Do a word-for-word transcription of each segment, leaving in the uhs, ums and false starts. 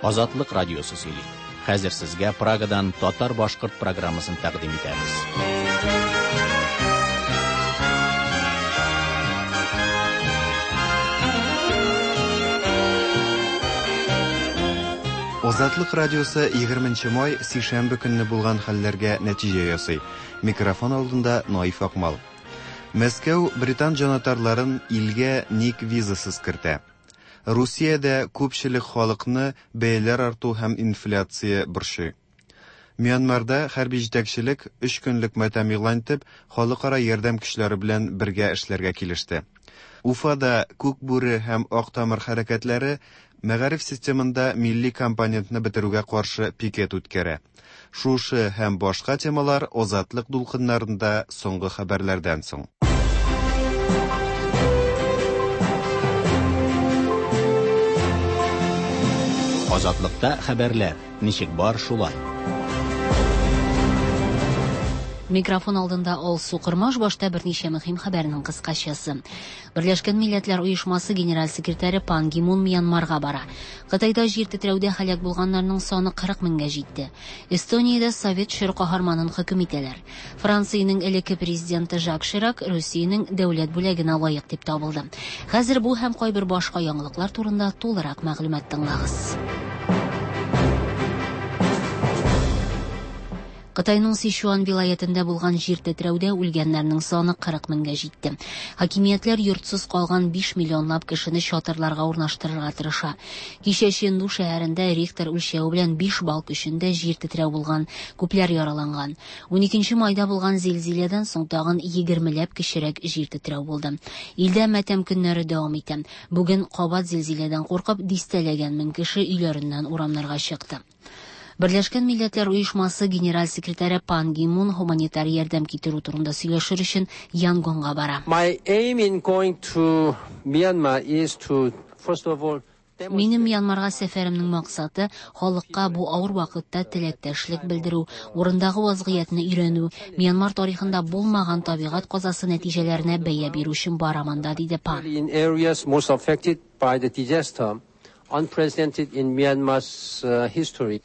Азатлык радиосы сөйли. Хәзер сезгә Прагадан татар-башкорт программасын тәкъдим итәбез. Азатлык радиосы егерменче май сишәмбе көнне булган хәлләргә нәтиҗә ясый. Микрофон алдында Наиф Акмал. Мәскәү британ җанатарларын илгә ник визасыз кертә. Русиядә күпчелек халыкны бәяләр арту һәм инфляция борчый. Мьянмарда хәрби җитәкчелек өч көнлек матәм игълан итеп, халыкара ярдәм көчләре белән бергә эшләргә килеште. Уфада Күк бүре һәм Ак тамыр хәрәкәтләре мәгариф системында милли компонентны бетерүгә каршы пикет үткәрә. Шушы һәм башка темалар Азатлык дулкыннарында соңгы хәбәрләрдән соң. Азатлыкта хәбәрләр ничек бар шулай. Микрофон алдында Алсу Кырмаш, башта берничә мөһим хәбәрнең кыскачасы. Берләшкән Милләтләр Оешмасы генераль секретаре Пан Ги Мун Мьянмарга бара. Кытайда җир тетрәүдә һәлак булганнарның саны кырык меңгә җитте. Эстониядә совет чоры каһарманын хөкем итәләр. Франциянең элекке президенты Жак Ширак Русиянең дәүләт бүләгенә лаек дип табылды. Хәзер бу һәм кайбер башка яңалыклар турында тулырак мәгълүмат тыңлагыз. Кытайның Сичуан вилаятында булган җир тетрәүдә үлгәннәрнең саны кырык меңгә җитте. Хакимиятләр йортсыз калган биш миллионлап кешене чатырларга урнаштырырга тырыша. Кичә Ченду шәһәрендә Рихтер үлчәве белән биш балл көчендә җир тетрәү булган, күпләр яраланган. Уникенче майда булган зилзиләдән соң тагын егермеләп кечерәк җир тетрәү булды. Илдә матәм көннәре дәвам итә. Бүген кабат зилзиләдән куркып дистәләгән мең кеше өйләреннән урамнарга чыкты. Берләшкән Милләтләр Оешмасы генераль секретаре Пан Ги Мун гуманитар ярдәм китерү турында сөйләшер өчен Янгонга бара. My aim in going to Myanmar is to, first of all, Минем Мьянмарга сәфәремнең максаты халыкка бу авыр вакытта теләктәшлек белдерү, урындагы вазгыятьне өйрәнү, Мьянмар тарихында булмаган табигать казасы нәтиҗәләренә бәя бирү өчен барам анда, диде Пан. In areas most affected by the disaster, unprecedented in Myanmar's, uh, history.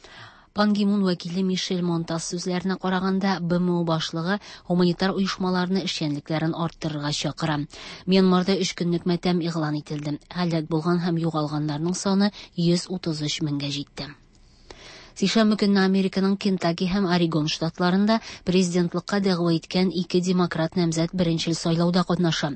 Пан Ги Мун вәкиле Мишель Монтас сүзләренә караганда, Б М О башлыгы гуманитар оешмаларны эшчәнлекләрен арттырырга чакыра. Мьянмарда өч көнлек матәм игълан ителде. Һәлак булган һәм югалганнарның саны йөз утыз өч меңгә җитте. Сишәмбе көнне Американың Кентаки һәм Орегон штатларында президентлыкка дәгъва иткән ике демократ намзәт беренчел сайлауда катнаша.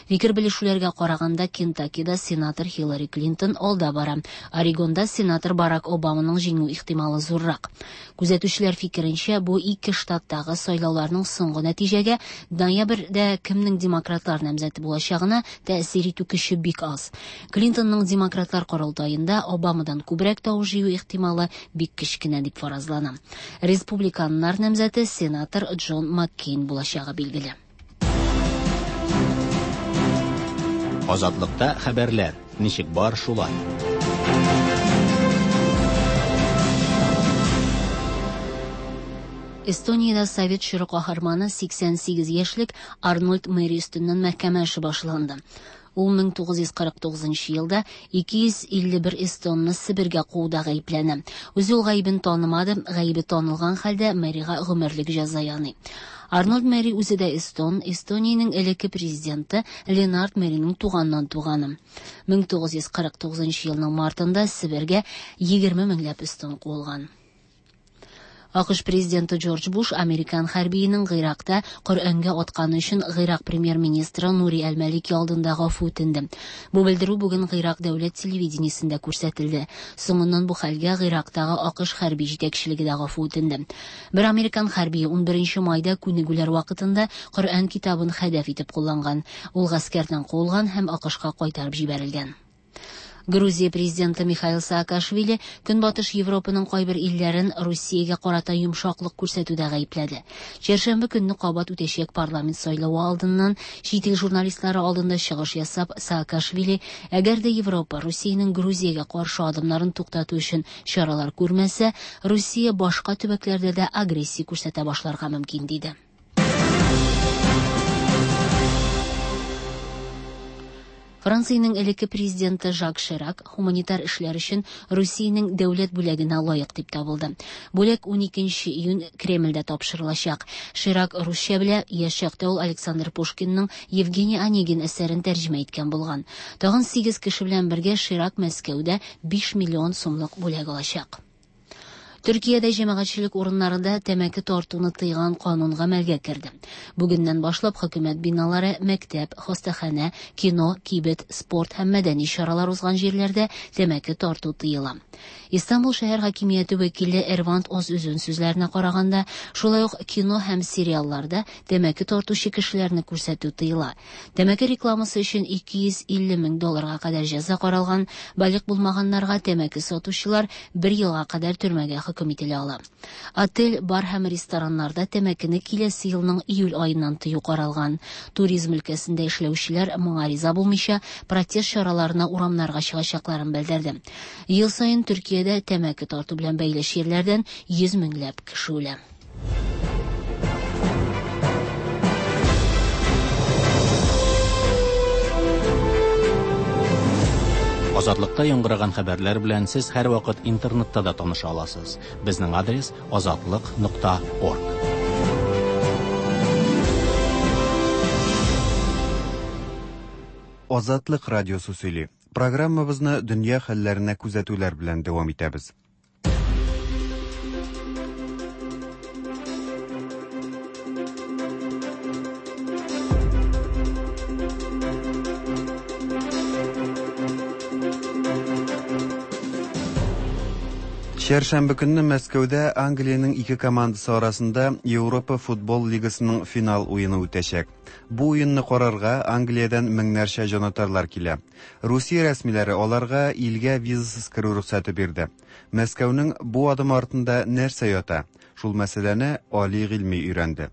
Фикер белешүләргә караганда, Кентакида сенатор Хиллари Клинтон алда бара. Орегонда сенатор Барак Обаманың җиңү ихтималы зуррак. Күзәтүчеләр фикеренчә, бу ике штаттагы сайлауларның соңгы нәтиҗәгә ноябрьдә кемнең демократлар намзәте булачагына тәэсир итү көче бик аз. Клинтонның демократлар корылтаенда Обамадан күбрәк тавыш җыю ихтималы бик кечкенә дип фаразлана. Республиканнар намзәте сенатор Джон Маккейн булачагы билгеле. Азатлыкта хәбәрләр ничек бар шулай. Эстониядә совет чоры каһарманы сиксән сигез яшьлек Арнольд Мэри өстеннән мәхкәмә эше башланды. Ул мең тугыз йөз кырык тугызынчы елда ике йөз илле бер эстонны Себергә кууда гаепләнә. Үзе ул гаебен танымады, гаебе танылган хәлдә Мэрига гомерлек җәза яный. Арнольд Мэри үзе дә эстон, Эстониянең элекке президенты Ленард Мэриның туганнан туганы. Мең тугыз йөз кырык тугызынчы елның мартында Себергә егерме меңләп эстон куылган. АКШ президенты Джордж Буш американ хәрбиенең Гыйракта Коръәнгә атканы өчен Гыйрак премьер-министры Нури Әл-Малики алдында гафу үтенде. Бу белдерү бүген Гыйрак дәүләт телевидениесендә күрсәтелде. Соңыннан бу хәлгә Гыйрактагы АКШ хәрби җитәкчелеге дә гафу үтенде. Бер американ хәрбие унберенче майда күнегүләр вакытында Коръән китабын хәдәф итеп кулланган. Ул гаскәрдән куылган һәм АКШка кайтарып җибәрелгән. Грузия президенты Михаил Саакашвили Көнбатыш Европаның кайбер илләрен Русиягә карата йомшаклык күрсәтүдә гаепләде. Чәршәмбе көнне кабат үтәчәк парламент сайлавы алдыннан чит ил журналистлары алдында чыгыш ясап, Саакашвили, әгәр дә Европа Русиянең Грузиягә каршы адымнарын туктату өчен чаралар күрмәсә, Русия башка төбәкләрдә дә агрессия күрсәтә башларга мөмкин, диде. Франциянең элекке президенты Жак Ширак һуманитар эшләр өчен Русиянең дәүләт бүләгенә лаек дип табылды. Бүләк уникенче июнь Кремльдә тапшырылачак. Ширак русча белә, яшь чакта ул Александр Пушкинның Евгений Онегин әсәрен тәрҗемә иткән булган. Тагын сигез кеше белән бергә Ширак Мәскәүдә биш миллион сумлык бүләк алачак. Төркиядә җәмәгатьчелек урыннарында тәмәке тартуны тыйган канун гамәлгә керде. Бүгеннән башлап хөкүмәт биналары, мәктәп, хастаханә, кино, кибет, спорт һәм мәдәни чаралар узган җирләрдә тәмәке тарту тыела. Истанбул шәһәр хакимияте вәкиле Эрвант Озүзүн сүзләренә караганда, шулай ук кино һәм сериалларда тәмәке тартучы кешеләрне күрсәтү тыела. Тәмәке рекламасы өчен ике йөз илле мең долларга кадәр җәза каралган, балигъ булмаганнарга тәмәке сатучылар бер елга кадәр төрмәгә хөкем ителә ала. Отель, бар һәм рестораннарда тәмәкене киләсе елның июль аеннан тыю каралган. Туризм өлкәсендә эшләүчеләр моңа риза булмыйча протест чараларына урамнарга чыгачакларын белдерде. Ел саен Төркиядә тәмәке тарту белән бәйле чирләрдән йөз меңләп кеше үлә. Азатлыкта яңгыраган хәбәрләр белән сез һәрвакыт интернетта да таныша аласыз. Безнең адрес азатлык нокта орг. Азатлык радиосы сөйли. Программабызны дөнья хәлләренә күзәтүләр белән дәвам итәбез. Чәршәмбе көнне Мәскәүдә Англиянең ике командасы арасында Европа футбол лигасының финал уены үтәчәк. Бу уенны карарга Англиядән меңнәрчә җанатарлар килә. Русия рәсмиләре аларга илгә визасыз керү рөхсәте бирде. Мәскәүнең бу адымы артында нәрсә ята? Шул мәсьәләне Али Гыйльми өйрәнде.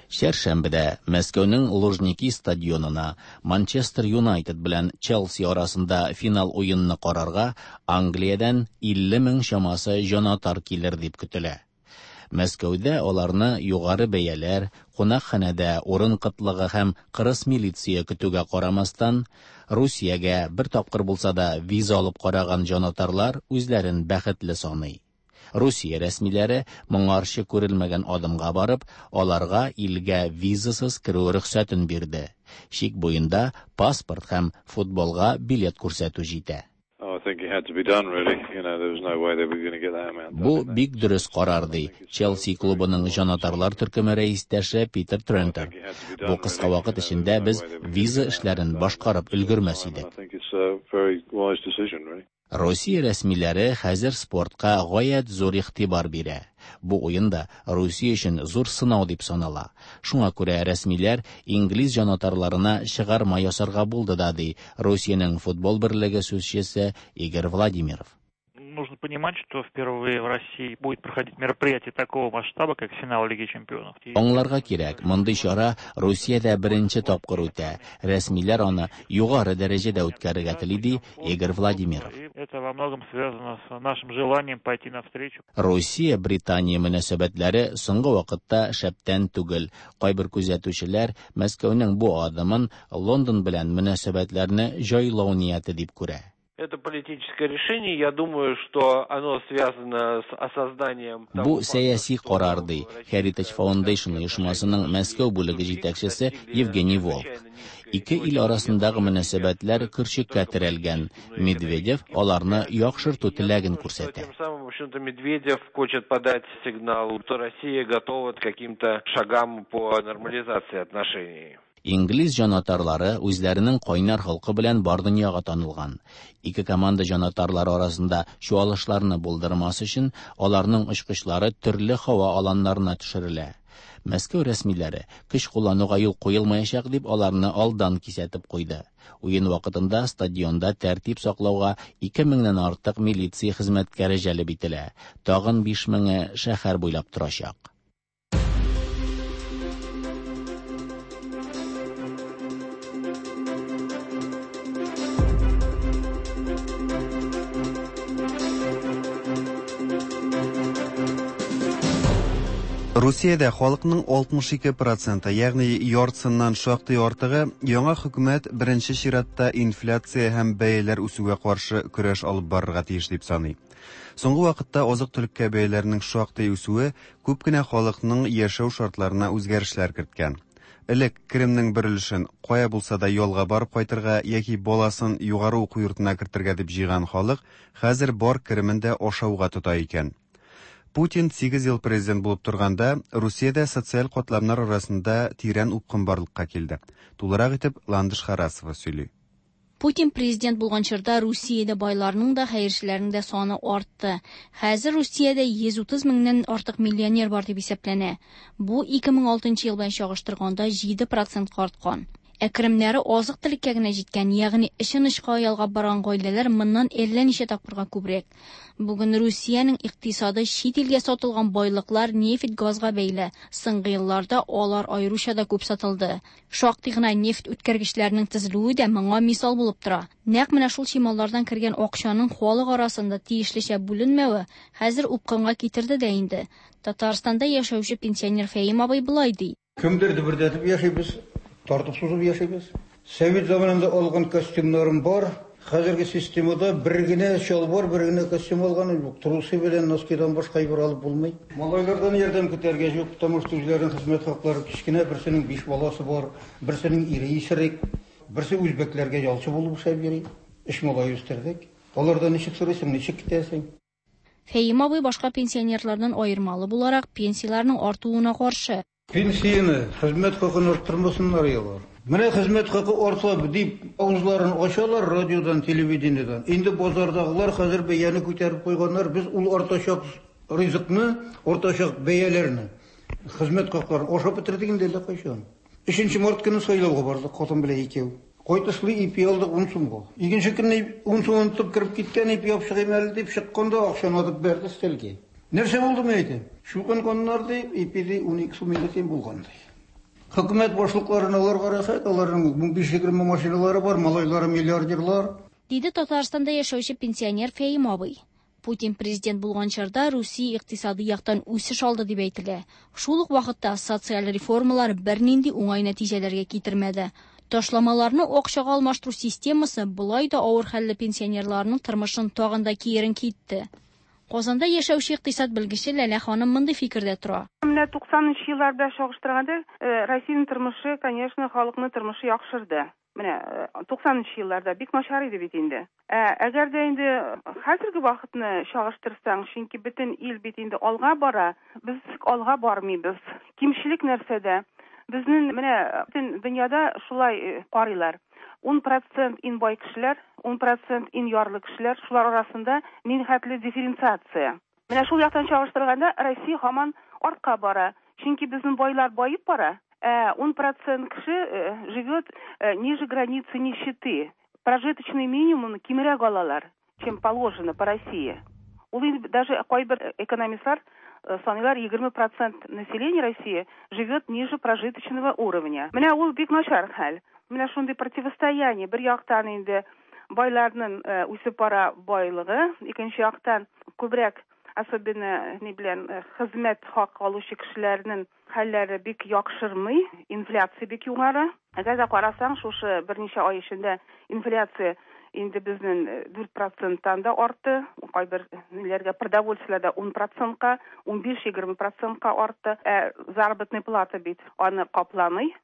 Чәршәмбедә Мәскәүнең Лужники стадионына Манчестер Юнайтед белән Челси арасында финал уенны карарга Англиядән илле мең чамасы җанатар килер дип көтелә. Мәскәүдә аларны югары бәяләр, кунакханәдә урын кытлыгы һәм кырыс милиция көтүгә карамастан, Русиягә бер тапкыр булса да виза алып караган җанатарлар үзләрен бәхетле саный. Русия рәсмиләре моңарчы күрелмәгән адымга барып, аларга илгә визасыз керү рөхсәтен бирде. Чик буенда паспорт һәм футболга билет күрсәтү җитә. Бу бик дөрес карар, ди Челси клубының җанатарлар төркеме рәистәше Питер Трентер. Бу кыска вакыт эчендә без виза эшләрен башкарып өлгермәс идек. Русия рәсмиләре хәзер спортка гаять зур игътибар бирә. Бу уенда Русия өчен зур сынау дип санала. Шуңа күрә рәсмиләр инглиз җанатарларына чыгарма ясарга булды да, ди Русиянең футбол берлеге сүзчесе Игорь Владимиров. Нужно понимать, что впервые в России будет проходить мероприятие такого масштаба, как финал Лиги Чемпионов. Аңларга кирәк, мондый чара Русиядә беренче тапкыр үтә. Рәсмиләр аны югары дәрәҗәдә үткәрергә тели, ди Игорь Владимиров. Это во многом связано с нашим желанием пойти навстречу. Русия-Британия мөнәсәбәтләре соңгы вакытта шәптән түгел. Кайбер күзәтүчеләр Мәскәүнең бу адымын Лондон белән мөнәсәбәтләрне җайлау нияте дип күрә. Это политическое решение, я думаю, что оно связано с осознанием... Бу сәяси карар, ди Heritage Foundation оешмасының Мәскәү бүлеге җитәкчесе Евгений Волк. Ике ил арасындагы мөнәсәбәтләр көрчеккә терәлгән. Медведев аларны яхшырту теләген күрсәтә. Тем самым, в общем-то, Медведев хочет подать сигнал, что Россия готова к каким-то шагам по нормализации отношений. Инглиз җанатарлары үзләренең кайнар халкы белән бар дөньяга танылган. Ике команда җанатарлары арасында чуалышларны булдырмас өчен аларның очкычлары төрле һава аланнарына төшерелә. Мәскәү рәсмиләре көч куллануга юл куелмаячак дип аларны алдан кисәтеп куйды. Уен вакытында стадионда тәртип саклауга ике меңнән артык милиция хезмәткәре җәлеп ителә. Тагын биш меңе шәһәр буйлап торачак. Русиядә халыкның алтмыш ике проценты, ягъни яртысыннан шактый артыгы, яңа хөкүмәт беренче чиратта инфляция һәм бәяләр үсүгә каршы көрәш алып барырга тиеш дип саный. Соңгы вакытта азык-төлеккә бәяләрнең шактый үсүе күп кенә халыкның яшәү шартларына үзгәрешләр керткән. Элек керемнең бер өлешен кая булса да ялга барып кайтырга яки баласын югары уку йортына кертергә дип җыйган халык хәзер бар керемен дә ашауга тота икән. Путин сигез ел президент булып торганда, Русиядә социаль катламнар арасында тирән упкын барлыкка килде. Тулырак итеп Ландыш Харасова сөйли. Путин президент булган чорда Русиядә байларның да, хәерчеләрнең дә саны артты. Хәзер Русиядә йөз утыз меңнән артык миллионер бар дип исәпләнә. Бу ике мең алтынчы ел белән чагыштырганда җиде процентка арткан. Ә керемнәре азык-төлеккә генә җиткән, ягъни эшен очка ялгап барган гаиләләр моннан әллә ничә тапкырга күбрәк. Бүген Русиянең икътисады чит илгә сатылган байлыклар нефть, газга бәйле. Соңгы елларда алар аеруча да күп сатылды. Шактый гына нефть үткәргечләренең төзелүе дә моңа мисал булып тора. Нәкъ менә шул чималлардан кергән акчаның халык арасында тиешлечә бүленмәве хәзер упкынга китерде дә инде. Татарстанда яшәүче пенсионер Фәим абый болай ди. Кемдер дөбердәтеп яшибез, тартып сузып яшибез. Совет заманында алган костюмнарым бар. Хәзерге системада бер генә чалбар, бер генә костюм алган юк. Трусы белән носкидан башка әйбер алып булмый. Малайлардан ярдәм көтәргә юк, потому что үзләренең хезмәт хаклары кечкенә, берсенең биш баласы бар, берсенең ире исерек, берсе үзбәкләргә ялчы булып эшләп йөри. Өч малай үстердек. Алардан ничек сорыйсың, ничек китәсең? Фәим абый башка пенсионерлардан аермалы буларак пенсияләрнең артуына каршы. Пенсияне, хезмәт хакын арттырмасыннар ялар. Менә хезмәт хакы арта дип авызларын ачалар радиодан, телевидениедән. Инде базардагылар хәзер бәяне күтәреп куйганнар. Без ул артачак ризыкны, артачак бәяләрне, хезмәт хакларын ашап бетердек инде әллә кайчан. Өченче март көне сайлауга бардык, хатын белән икәү. Кайтышлы ипи алдык ун сумга. Икенче көнне ун сум онытып кереп киткән ипи алып чыгыйм әле дип чыкканда акчаны атып бәрде өстәлгә. Нәрсә булды мен әйтәм? Чукынганнар дип, ипи ди ун ике сум илле тиен булган ди. Хөкүмәт башлыкларына аларга рәхәт, аларның унбиш егерме машиналары бар, малайлары миллиардерлар. Диде Татарстанда яшәүче пенсионер Фәим абый. Путин президент булган чорда Русия икътисады яктан үсеш алды дип әйтелә. Шул ук вакытта социаль реформалар бернинди уңай нәтиҗәләргә китермәде. Ташламаларны акчага алмаштыру системасы болай да авыр хәлле пенсионерларның тормышын тагын да киеренке итте. Казанда яшәүче икътисад белгече Ләлә ханым мондый фикердә тора. Менә туксанынчы елларда чагыштырганда, э, Россиянең тормышы, конечно, халыкның тормышы яхшырды. Менә, э, туксанынчы елларда бик начар иде бит инде. Ә, әгәр дә инде хәзерге вакытны чагыштырсаң, чөнки бөтен ил бит инде алга бара, без алга бармыйбыз. Кимчелек нәрсәдә? Безнең менә бөтен дөньяда шулай, э, карыйлар. Ун процент иң бай кешеләр, ун процент иң ярлы кешеләр, шулар арасында нихәтле дифференциация. Менә шул яктан чагыштырганда Россия һаман артка бара. Чөнки безнең байлар баеп бара. Ә ун процент кеше, э, живет, э, ниже границы нищеты. Прожиточный минимум кимрәк алалар, чем положено по России. Ул инде даже кайбер экономистлар, э, саныйлар, егерме процент населения России живет ниже прожиточного уровня. Менә ул бик начар хәл. Менә шундый противостояние. Бер яктан инде байларның, э, үсеп бара байлыгы, икенче яктан күбрәк, особенно ни белән, э, хезмәт хакы алучы кешеләрнең хәлләре бик яхшырмый, инфляция бик югары. Әгәр дә карасаң, шушы берничә ай эчендә инфляция инде безнең, э, дүрт проценттан да артты. Кайбер ниләргә продовольствиеләрдә ун процентка, унбиш-егерме процентка артты. Ә заработная плата бит аны капламый.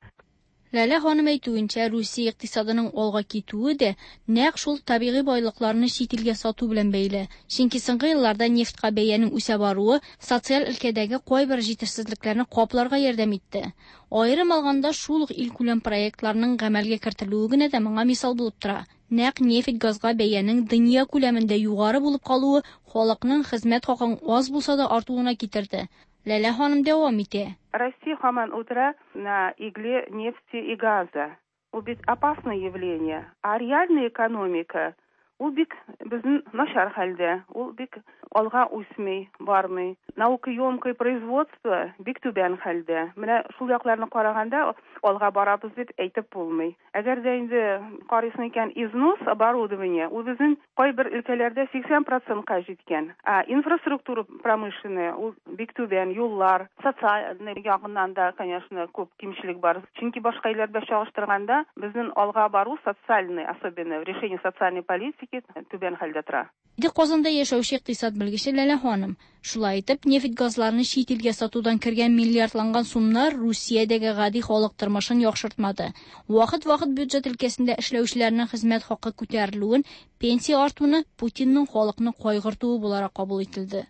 Ләлә ханым әйтүенчә, Русия икътисадының алга китүе дә нәкъ шул табигый байлыкларны чит илгә сату белән бәйле. Чөнки соңгы елларда нефтькә бәянең үсә баруы социаль өлкәдәге кайбер җитешсезлекләрне капларга ярдәм итте. Аерым алганда, шул ук илкүләм проектларның гамәлгә кертелүе генә дә моңа мисал булып тора. Нәкъ нефть газга бәянең дөнья күләмендә югары булып калуы халыкның хезмәт хакын аз булса да артуына китерде. Ләлә ханым дәвам итә. Россия һаман утыра на игле нефти и газа. Ул бит опасное явление. А реальная экономика, Ул бик безнең начар хәлдә, ул бик алга үсми, бармый. Наукоемкое производство бик түбән хәлдә. Менә шул якларны караганда алга барабыз дип әйтеп булмый. Әгәр дә инде карыйсың икән, износ оборудование ул безнең кайбер өлкәләрдә сиксән процентка җиткән. Ә инфраструктура промышленная ул бик түбән, юллар, социальный ягыннан да, конечно, күп кимчелек бар. Чөнки башка илләр белән чагыштырганда безнең алга бару социальный, особенно в решении социальной политики түбән хәлдә тора. Диде Казанда яшәүче икътисад белгече Ләлә ханым. Шулай итеп, нефть газларны чит илгә сатудан кергән миллиардланган сумнар Русиядәге гади халык тормышын яхшыртмады. Вакыт-вакыт бюджет өлкәсендә эшләүчеләрнең хезмәт хакы күтәрелүен, пенсия артуны Путинның халыкны кайгыртуы буларак кабул ителде.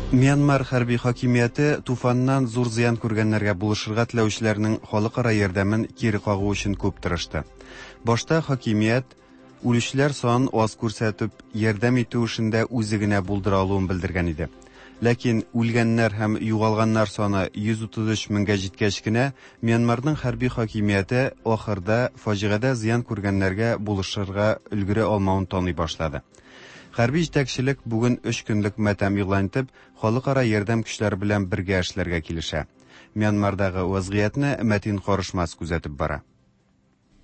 Мьянмар хәрби хакимияте туфаннан зур зыян күргәннәргә булышырга теләүчеләрнең халыкара ярдәмен кире кагу өчен күп тырышты. Башта хакимият үлүчеләр санын аз күрсәтеп, ярдәм итү эшендә үзе генә булдыра алуын белдергән иде. Ләкин үлгәннәр һәм югалганнар саны йөз утыз өч меңгә җиткәч кенә, Мьянмарның хәрби хакимияте ахырда фаҗигадә зыян күргәннәргә булышырга өлгерә алмавын таный башлады. Хәрби җитәкчелек бүген өч көнлек матәм игълан итеп, халыкара ярдәм көчләре белән бергә эшләргә килешә. Мьянмардагы вазгыятьне Мәтин Карышмас күзәтеп бара.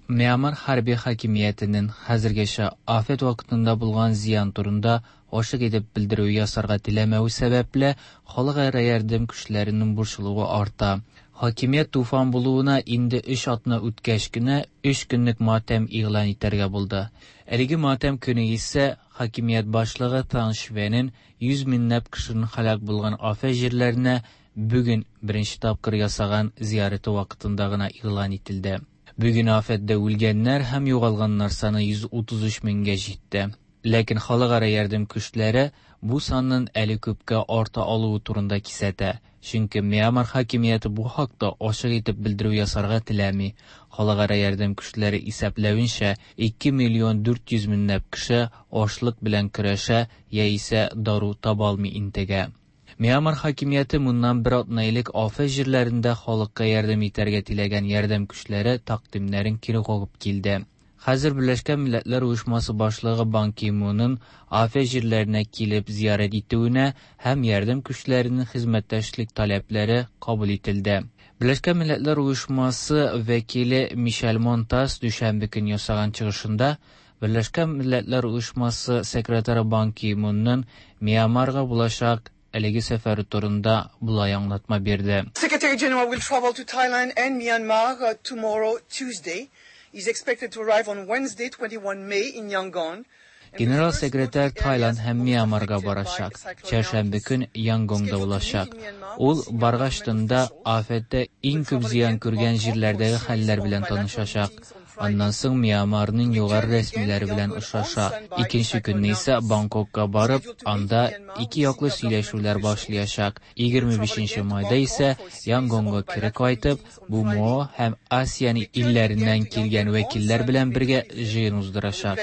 Мьянмар хәрби хакимиятенең хәзергәчә афәт вакытында булган зыян турында ачык итеп белдерү ясарга теләмәве сәбәпле, халыкара ярдәм көчләренең борчылуы арта. Хакимият туфан булуына инде өч атна үткәч кенә өч көнлек матәм игълан итәргә булды. Әлеге матәм көне исә хакимият башлыгы Тан Швенин йөз меңләп кешенең һәлак булган афәт җирләренә бүген беренче тапкыр ясаган зияраты вакытында гына игълан ителде. Бүген афәттә үлгәннәр һәм югалганнар саны йөз утыз өч меңгә җитте. Ләкин халыкара ярдәм көчләре бу санның әле күпкә арта алуы турында кисәтә. Чөнки Мьянмар хакимияте бу хакта ачык итеп белдерү ясарга теләми. Халыкара ярдәм көчләре исәпләвенчә, ике миллион дүрт йөз меңләп кеше ачлык белән көрәшә яисә дару таба алмый интегә. Мьянмар хакимияте моннан бер атна элек афәт җирләрендә халыкка ярдәм итәргә теләгән ярдәм көчләре тәкъдимнәрен кире кагып килде. Хәзер Берләшкән Милләтләр Оешмасы башлыгы Бан Ки-мунның афәт җирләренә килеп зиярәт итүенә һәм ярдәм көчләренең хезмәттәшлек таләпләре кабул ителде. Берләшкән Милләтләр Оешмасы вәкиле Мишель Монтас дүшәмбе көн ясаган чыгышында Берләшкән Милләтләр Оешмасы секретаре Бан Ки-мунның Мьянмарга булачак әлеге сәфәре турында болай аңлатма бирде. Secretary General will travel to Thailand and Myanmar tomorrow, Tuesday. He's expected to arrive on Wednesday, twenty-one May in Yangon. Генерал секретарь Тайланд һәм Мьянмарга барачак. Чәршәмбе көн Янгонда булачак. Ул баргач тында афәттә иң күп зыян күргән җирләрдәге хәлләр белән танышачак. Аннан соң Мьянмарның югары рәсмиләре белән очраша. Икенче көнне исә Бангкокка барып, анда ике яклы сөйләшүләр башлаячак. Егерме бишенче майда исә Янгонга кире кайтып, БМО һәм АСЕАН илләреннән килгән вәкилләр белән бергә җыен уздырачак.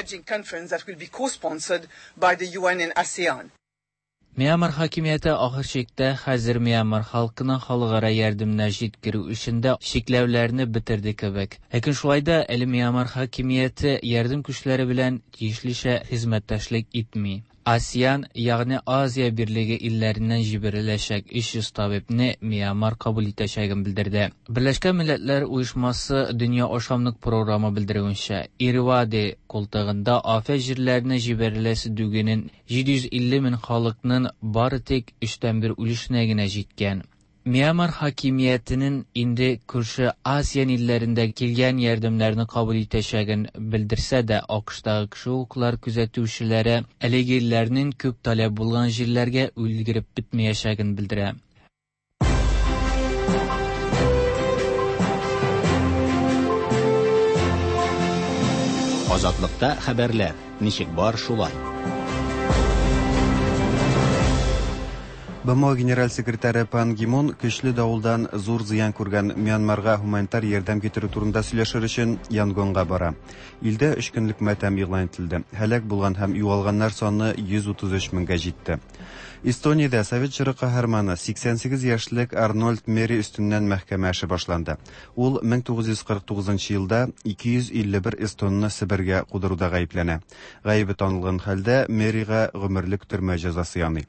Мьянмар хакимияте ахыр чиктә хәзер Мьянмар халкына халыкара ярдәмнәр җиткерү эшендә чикләүләрне бетерде кебек. Ләкин шулай да әле Мьянмар хакимияте ярдәм көчләре белән тиешлечә хезмәттәшлек итми. АСЕАН, ягъни Азия Берлеге илләреннән җибәреләчәк өч йөз табибне Мьянмар кабул итәчәген белдерде. Берләшкән Милләтләр Оешмасы Дөнья ашамлык програмы белдерүенчә, Ирвади култыгында афәт җирләренә җибәреләсе дүгенең җиде йөз илле мең халыкның бары тик өчтән бер өлешенә генә җиткән. Мьянмар хакимиятенең инде күрше АСЕАН илләрендә килгән ярдәмнәрне кабул итәчәген белдерсә дә, АКШтагы кеше хокуклар күзәтүчеләре әлеге илләрнең күп таләп булган җирләргә өлгереп бетмәячәген белдерә. Азатлыкта хәбәрләр ничек бар шулай. БМО генераль секретаре Пан Ги Мун көчле давылдан зур зыян күргән Мьянмарга гуманитар ярдәм китерү турында сөйләшер өчен Янгонга бара. Илдә өч көнлек матәм игълан ителде. Һәлак булган һәм югалганнар саны йөз утыз өч меңгә җитте. Эстониядә совет чоры каһарманы сиксән сигез яшьлек Арнольд Мери өстеннән мәхкәмә эше башланды. Ул мең тугыз йөз кырык тугызынчы елда ике йөз илле бер эстонны Себергә кудыруда гаепләнә. Гаебе танылган хәлдә Мерига гомерлек төрмә җәзасы яный.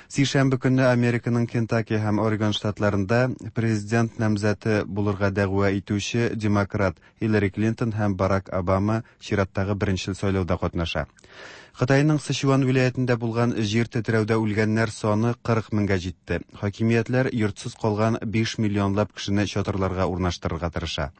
Сишәмбе көнне Американың Кентаки һәм Орегон штатларында президент намзәте булырга дәгъва итүче демократ Хиллари Клинтон һәм Барак Обама чираттагы беренче сайлауда катнаша. Кытайның Сычуан вилаятендә булган җир тетрәүдә үлгәннәр саны кырык меңгә җитте. Хакимиятләр йортсыз калган биш миллионлап кешене чатырларга урнаштырырга тырыша.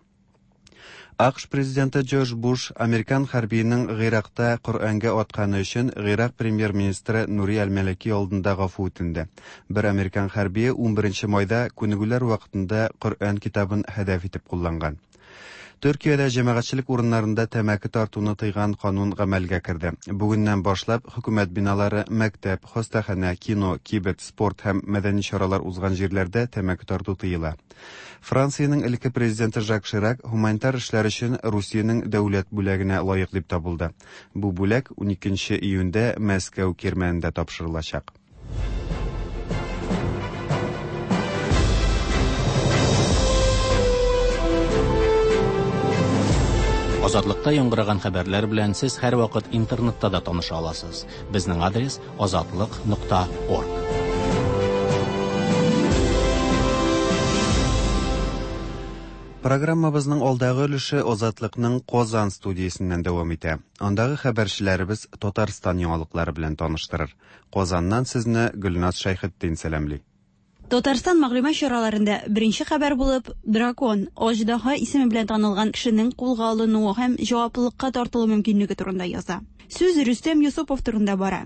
АКШ президенты Джордж Буш американ хәрбиенең Гыйракта Коръәнгә атканы өчен Гыйрак премьер-министры Нури Әл-Мәлики алдында гафу үтенде. Бер американ хәрбие унберенче майда күнегүләр вакытында Коръән китабын һәдәф итеп кулланган. Төркиядә җәмәгатьчелек урыннарында тәмәке тартуны тыйган канун гамәлгә керде. Бүгеннән башлап хөкүмәт биналары, мәктәп, хастаханә, кино, кибет, спорт һәм мәдәни чаралар узган җирләрдә тәмәке тарту тыела. Франциянең элекке президенты Жак Ширак гуманитар эшләр өчен Русиянең дәүләт бүләгенә лаек дип табылды. Бу бүләк уникенче июньдә Мәскәү кирмәнендә тапшырылачак. Азатлыкта яңгыраган хәбәрләр белән сез һәрвакыт интернетта да таныша аласыз. Безнең адрес азатлык нокта орг. Программабызның алдагы өлеше Азатлыкның Казан студиясеннән дәвам итә. Андагы хәбәрчеләребез Татарстан яңалыклары белән таныштырыр. Казаннан сезне Гөлназ Шәйхетдин сәламли. Татарстан мәгълүмат чараларында беренче хәбәр булып Дракон, Аждаһа исеме белән танылган кешенең кулга алынуы һәм җаваплылыкка тартылу мөмкинлеге турында яза. Сүз Рөстәм Юсупов турында бара.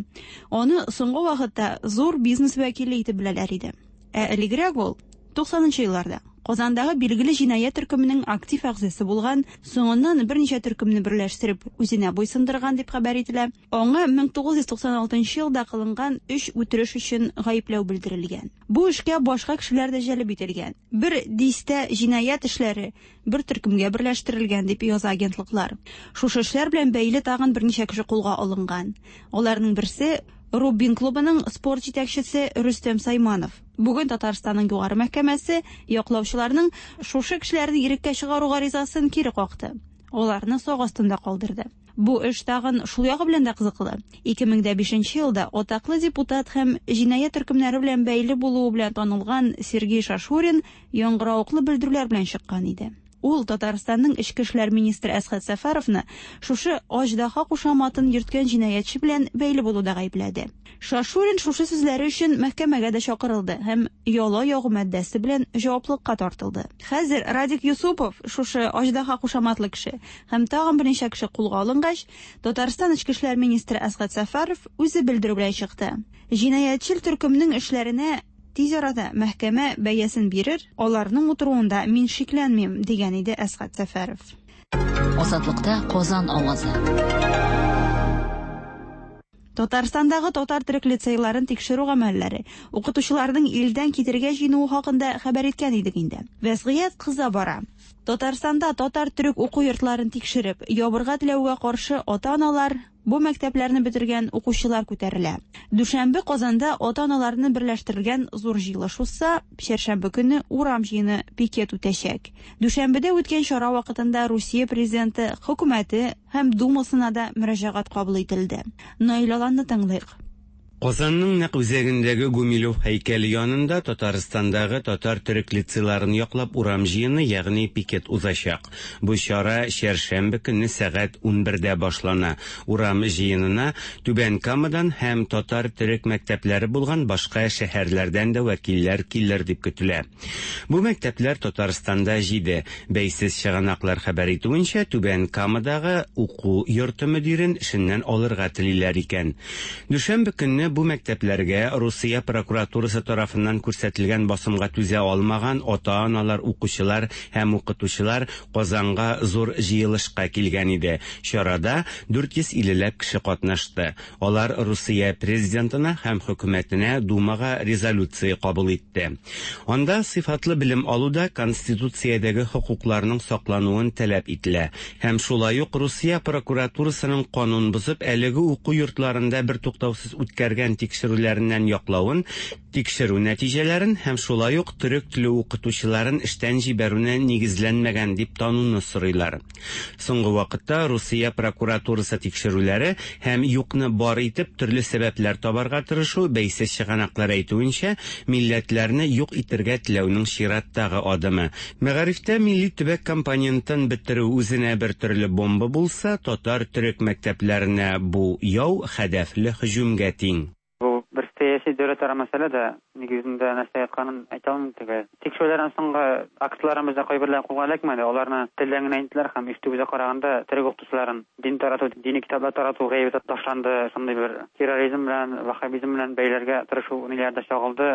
Аны соңгы вакытта зур бизнес вәкиле итеп беләләр иде. Ә элегрәк ул туксанынчы елларда Казандагы билгеле җинаять төркеменең актив әгъзасы булган, соңыннан берничә төркемне берләштереп үзенә буйсындырган дип хәбәр ителә. Аңа мең тугыз йөз туксан алтынчы елда кылынган өч үтереш өчен гаепләү белдерелгән. Бу эшкә башка кешеләр дә җәлеп ителгән. Бер дистә җинаять эшләре бер төркемгә берләштерелгән дип яза агентлыклар. Шушы эшләр белән бәйле тагын берничә кеше кулга алынган. Аларның берсе Рубин клубының спорт җитәкчесе Рөстәм Сайманов. Бүген Татарстанның югары мәхкәмәсе яклаучыларның шушы кешеләрне иреккә чыгару гаризасын кире какты. Аларны сак астында калдырды. Бу эш тагын шул ягы белән дә кызыклы. ике мең дә бишенче елда атаклы депутат һәм җинаять төркемнәре белән бәйле булуы белән танылган Сергей Шашурин яңгыравыклы белдерүләр белән чыккан иде. Ул Татарстанның эчке эшләр министры Әсхәт Сәфәровны шушы Аждаһа кушаматын йөрткән җинаятьче белән бәйле булуда гаепләде. Шашурин шушы сүзләре өчен мәхкәмәгә дә чакырылды һәм яла ягу маддәсе белән җаваплылыкка тартылды. Хәзер Радик Юсупов, шушы Аждаһа кушаматлы кеше һәм тагын берничә кеше кулга алынгач, Татарстан эчке эшләр министры Әсхәт Сәфәров үзе белдерү белән чыкты. Җинаятьчел төркемнең эшләренә тиз арада мәхкәмә бәясен бирер, аларның утыруында мин шикләнмим, дигән иде Әсхәт Сәфәров. Азатлыкта Казан авазы. Татарстандагы татар төрек лицейларын тикшерү гамәлләре, укытучыларның илдән китергә җыенуы хакында хәбәр иткән идек инде. Вәзгыять кыза бара. Татарстанда татар төрек уку йортларын тикшереп, ябырга теләүгә каршы ата-аналар, бу мәктәпләрне бетергән укучылар күтәрелә. Дүшәмбе Казанда ата-аналарны берләштергән зур җыелыш узса, чәршәмбе көне урам җыены пикет үтәчәк. Дүшәмбедә үткән чара вакытында Русия президенты, хөкүмәте һәм Думасына да мөрәҗәгать кабул ителде. Наил Аланны тыңлыйк. Казанның нәкъ үзәгендәге Гумилев һәйкәле янында Татарстандагы татар төрек лицейларын яклап урам җыены, ягъни пикет узачак. Бу чара чәршәмбе көнне сәгать унбердә башлана. Урам җыенына Түбән Камадан һәм татар төрек мәктәпләре булган башка шәһәрләрдән дә вәкилләр килер дип көтелә. Бу мәктәпләр Татарстанда җиде. Бәйсез чыганаклар хәбәр итүенчә, Түбән Камадагы уку йорты мөдирен эшеннән алырга телиләр икән. Дүшәмбе көнне бу мәктәпләргә Русия прокуратурасы тарафыннан күрсәтелгән басымга түзә алмаган ата-аналар, укучылар һәм укытучылар Казанга зур җыелышка килгән иде. Чарада дүрт йөз иллеләп кеше катнашты. Алар Русия президентына һәм хөкүмәтенә, Думага резолюция кабул итте. Анда сыйфатлы белем алуда конституциядәге хокукларның саклануын таләп ителә. Һәм шулай ук Русия прокуратурасының канун бозып әлеге уку йортларында бер туктаусыз үткәргән тикшерүләреннән яклавын, тикшерү нәтиҗәләрен һәм шулай ук төрек теле укытучыларын эштән җибәрүне нигезләнмәгән дип тануны сорыйлар. Соңгы вакытта Русия прокуратурасы тикшерүләре һәм юкны бар итеп төрле сәбәпләр табарга тырышу бәйсез чыганаклар әйтүенчә, милләтләрне юк итергә теләүнең чираттагы адымы. Мәгарифтә милли төбәк компонентын бетерү үзенә бер төрле бомба булса, татар төрек мәктәпләренә бу яу хәдәфле һөҗүмгә тиң. Бу бер сәяси дәүләтара мәсьәлә дә, нигезендә нәрсә ятканын әйтә алмыйм төгәл. Тикшерүләрдән соңгы актларыбызда кайберләр кулга эләкмәде, аларны телдән генә әйттеләр һәм ишетүебезгә караганда төрек укытучыларын дин тарату, дини китаплар тарату гаебе ташланды, шундый бер терроризм белән, ваххабизм белән бәйләргә тырышу ниләр дә чагылды.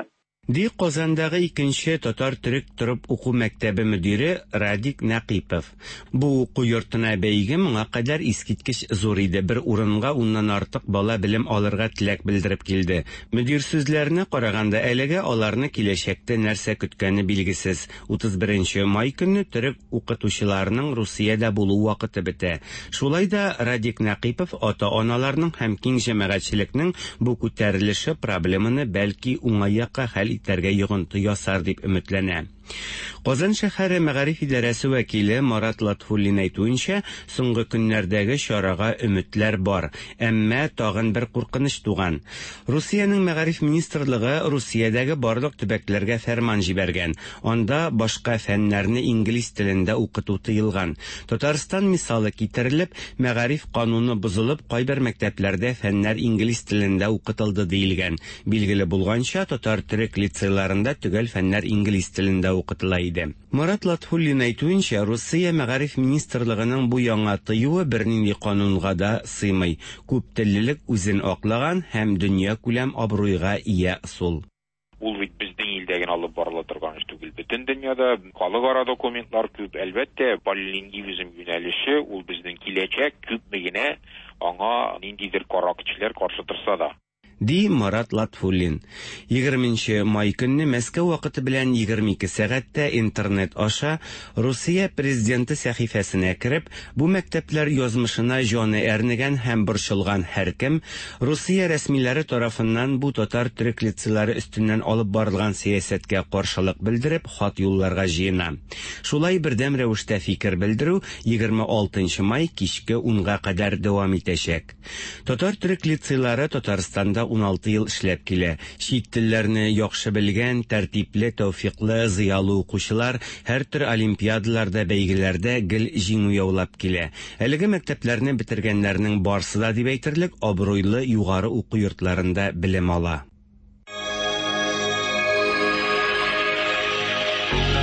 Ди Казандагы икенче татар төрек торып уку мәктәбе мөдире Радик Нәкыйпов. Бу уку йортына бәйге моңа кадәр искиткеч зур иде. Бер урынга уннан артык бала белем алырга теләк белдереп килде. Мөдир сүзләренә караганда әлегә аларны киләчәктә нәрсә көткәне билгесез. Утыз беренче май көнне төрек укытучыларының Русиядә булу вакыты бетә. Шулай да Радик Нәкыйпов ата-аналарның һәм киң җәмәгатьчелекнең бу күтәрелеше проблеманы бәлки уңай якка хәл итәргә йогынты ясар дип өметләнә. Казан шәһәре мәгариф идарәсе вәкиле Марат Латфуллин әйтүенчә, соңгы көннәрдәге чарага өметләр бар, әмма тагын бер куркыныч туган. Русиянең мәгариф министрлыгы Русиядәге барлык төбәкләргә фәрман җибәргән. Анда башка фәннәрне инглиз телендә укыту тыелган. Татарстан мисалы китерелеп, мәгариф кануны бозылып, кайбер мәктәпләрдә фәннәр инглиз телендә укытылды диелгән. Билгеле булганча, татар төрек лицейларында төгәл фәннәр инглиз телендә укытыла иде. Марат Латфуллин әйтүенчә, Русия мәгариф министрлыгының бу яңа тыюы бернинди канунга да сыймый. Күп теллелек үзен аклаган һәм дөнья күләм абруйга ия ысул. Ул бит безнең илдә генә алып барыла торган эш түгел. Бөтен дөньяда халыкара документлар күп. Әлбәттә, полилингвизм юнәлеше ул безнең киләчәк, күпме генә аңа ниндидер кара көчләр каршы торса да. Ди Марат Латфуллин. Егерменче май көнне Мәскәү вакыты белән егерме ике сәгатьтә интернет аша Русия президенты сәхифәсенә кереп, бу мәктәпләр язмышына җаны әрнегән һәм борчылган һәркем Русия рәсмиләре тарафыннан бу татар төрек лицейлары өстеннән алып барылган сәясәткә каршылык белдереп хат юлларга җыена. Шулай бердәм рәвештә фикер белдерү егерме алтынчы май кичке унга кадәр дәвам итәчәк. Татар төрек лицейлары Татарстанда ун алты ел эшләп килә. Чит телләрне яхшы белгән, тәртипле, тәүфиклы, зыялы укучылар һәр төр олимпиадаларда, бәйгеләрдә гел җиңү яулап килә. Әлеге мәктәпләрне бетергәннәрнең барсы да дип әйтерлек абруйлы югары уку йортларында белем ала.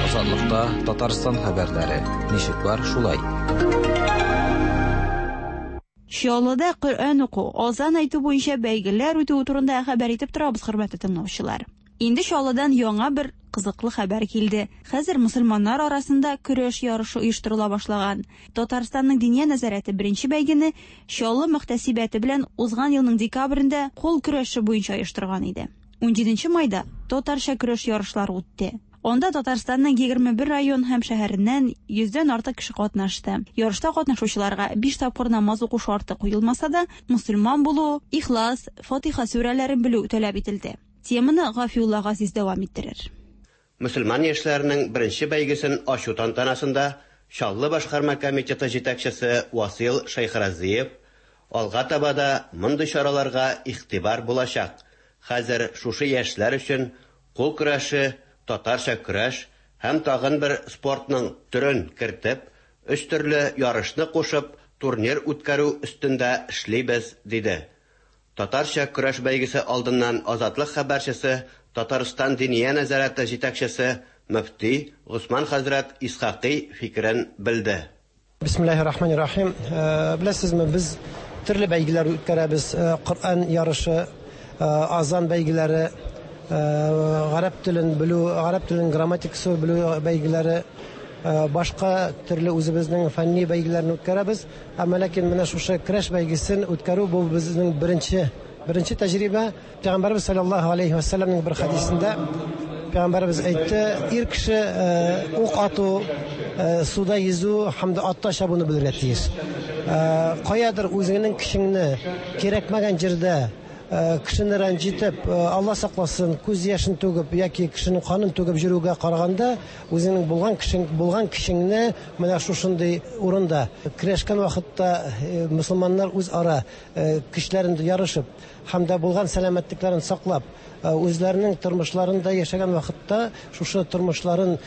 Азатлыкта Татарстан хәбәрләре. Ничек бар шулай. Чаллыда Коръән уку, азан әйтү буенча бәйгеләр үтү турында хәбәр итеп торабыз, хөрмәтле тыңлаучылар. Инде Чаллыдан яңа бер кызыклы хәбәр килде. Хәзер мусульманнар арасында көрәш ярышы оештырыла башлаган. Татарстанның Диния нәзарәте беренче бәйгене Чаллы мөхтәсибәте белән узган елның декабрендә кул көрәше буенча оештырган иде. Унҗиденче майда татарча көрәш ярышлары үтте. Анда Татарстанның егерме бер район һәм шәһәреннән йөздән артык кеше катнашты. Ярышта катнашучыларга биш тапкыр намаз уку шарты куелмаса да, мусульман булу, Ихлас, Фатиха сүрәләрен белү таләп ителде. Теманы Гафиулла Газиз дәвам иттерер. Мусульман яшьләренең беренче бәйгесен ачу тантанасында Чаллы башкарма комитеты җитәкчесе Васил Шәйхразиев алга таба да мондый чараларга игътибар булачак. Хәзер шушы яшьләр өчен кул көрәше, татарча көрәш һәм тагын бер спортның төрен кертеп, өч төрле ярышны кушып, турнир үткәрү өстендә эшлибез, диде. Татарча көрәш бәйгесе алдыннан Азатлык хәбәрчесе, Татарстан Диния нәзарәте җитәкчесе мөфти Госман хәзрәт Исхакый фикерен белде. Бисмиллаһир-рахманир-рахим. Беләсезме, без төрле бәйгеләр үткәрәбез. Коръән ярышы, азан бәйгеләре, гарәп телен белү, гарәп теленең грамматикасы белү бәйгеләре, башка төрле үзебезнең фәнни бәйгеләрне үткәрәбез. Әмма ләкин менә шушы көрәш бәйгесен үткәрү бу безнең беренче беренче тәҗрибә. Пәйгамбәрбез саллаллаһу алейһи ва сәлләмнең бер хәдисендә Пәйгамбәрбез әйтте: ир кеше ук ату, суда йөзү һәм дә атта чабуны белергә тиеш. Каядыр үзеңнең кешеңне кирәкмәгән җирдә кешене рәнҗитеп, Алла сакласын, күз яшен түгеп яки кешенең канын түгеп йөрүгә караганда, үзеңнең булган кешең булган кешеңне менә шушындый урында көрәшкән вакытта мөселманнар үзара көчләрен ярышып һәм дә булган сәламәтлекләрен саклап, үзләренең тормышларында яшәгән вакытта шушы тормышларын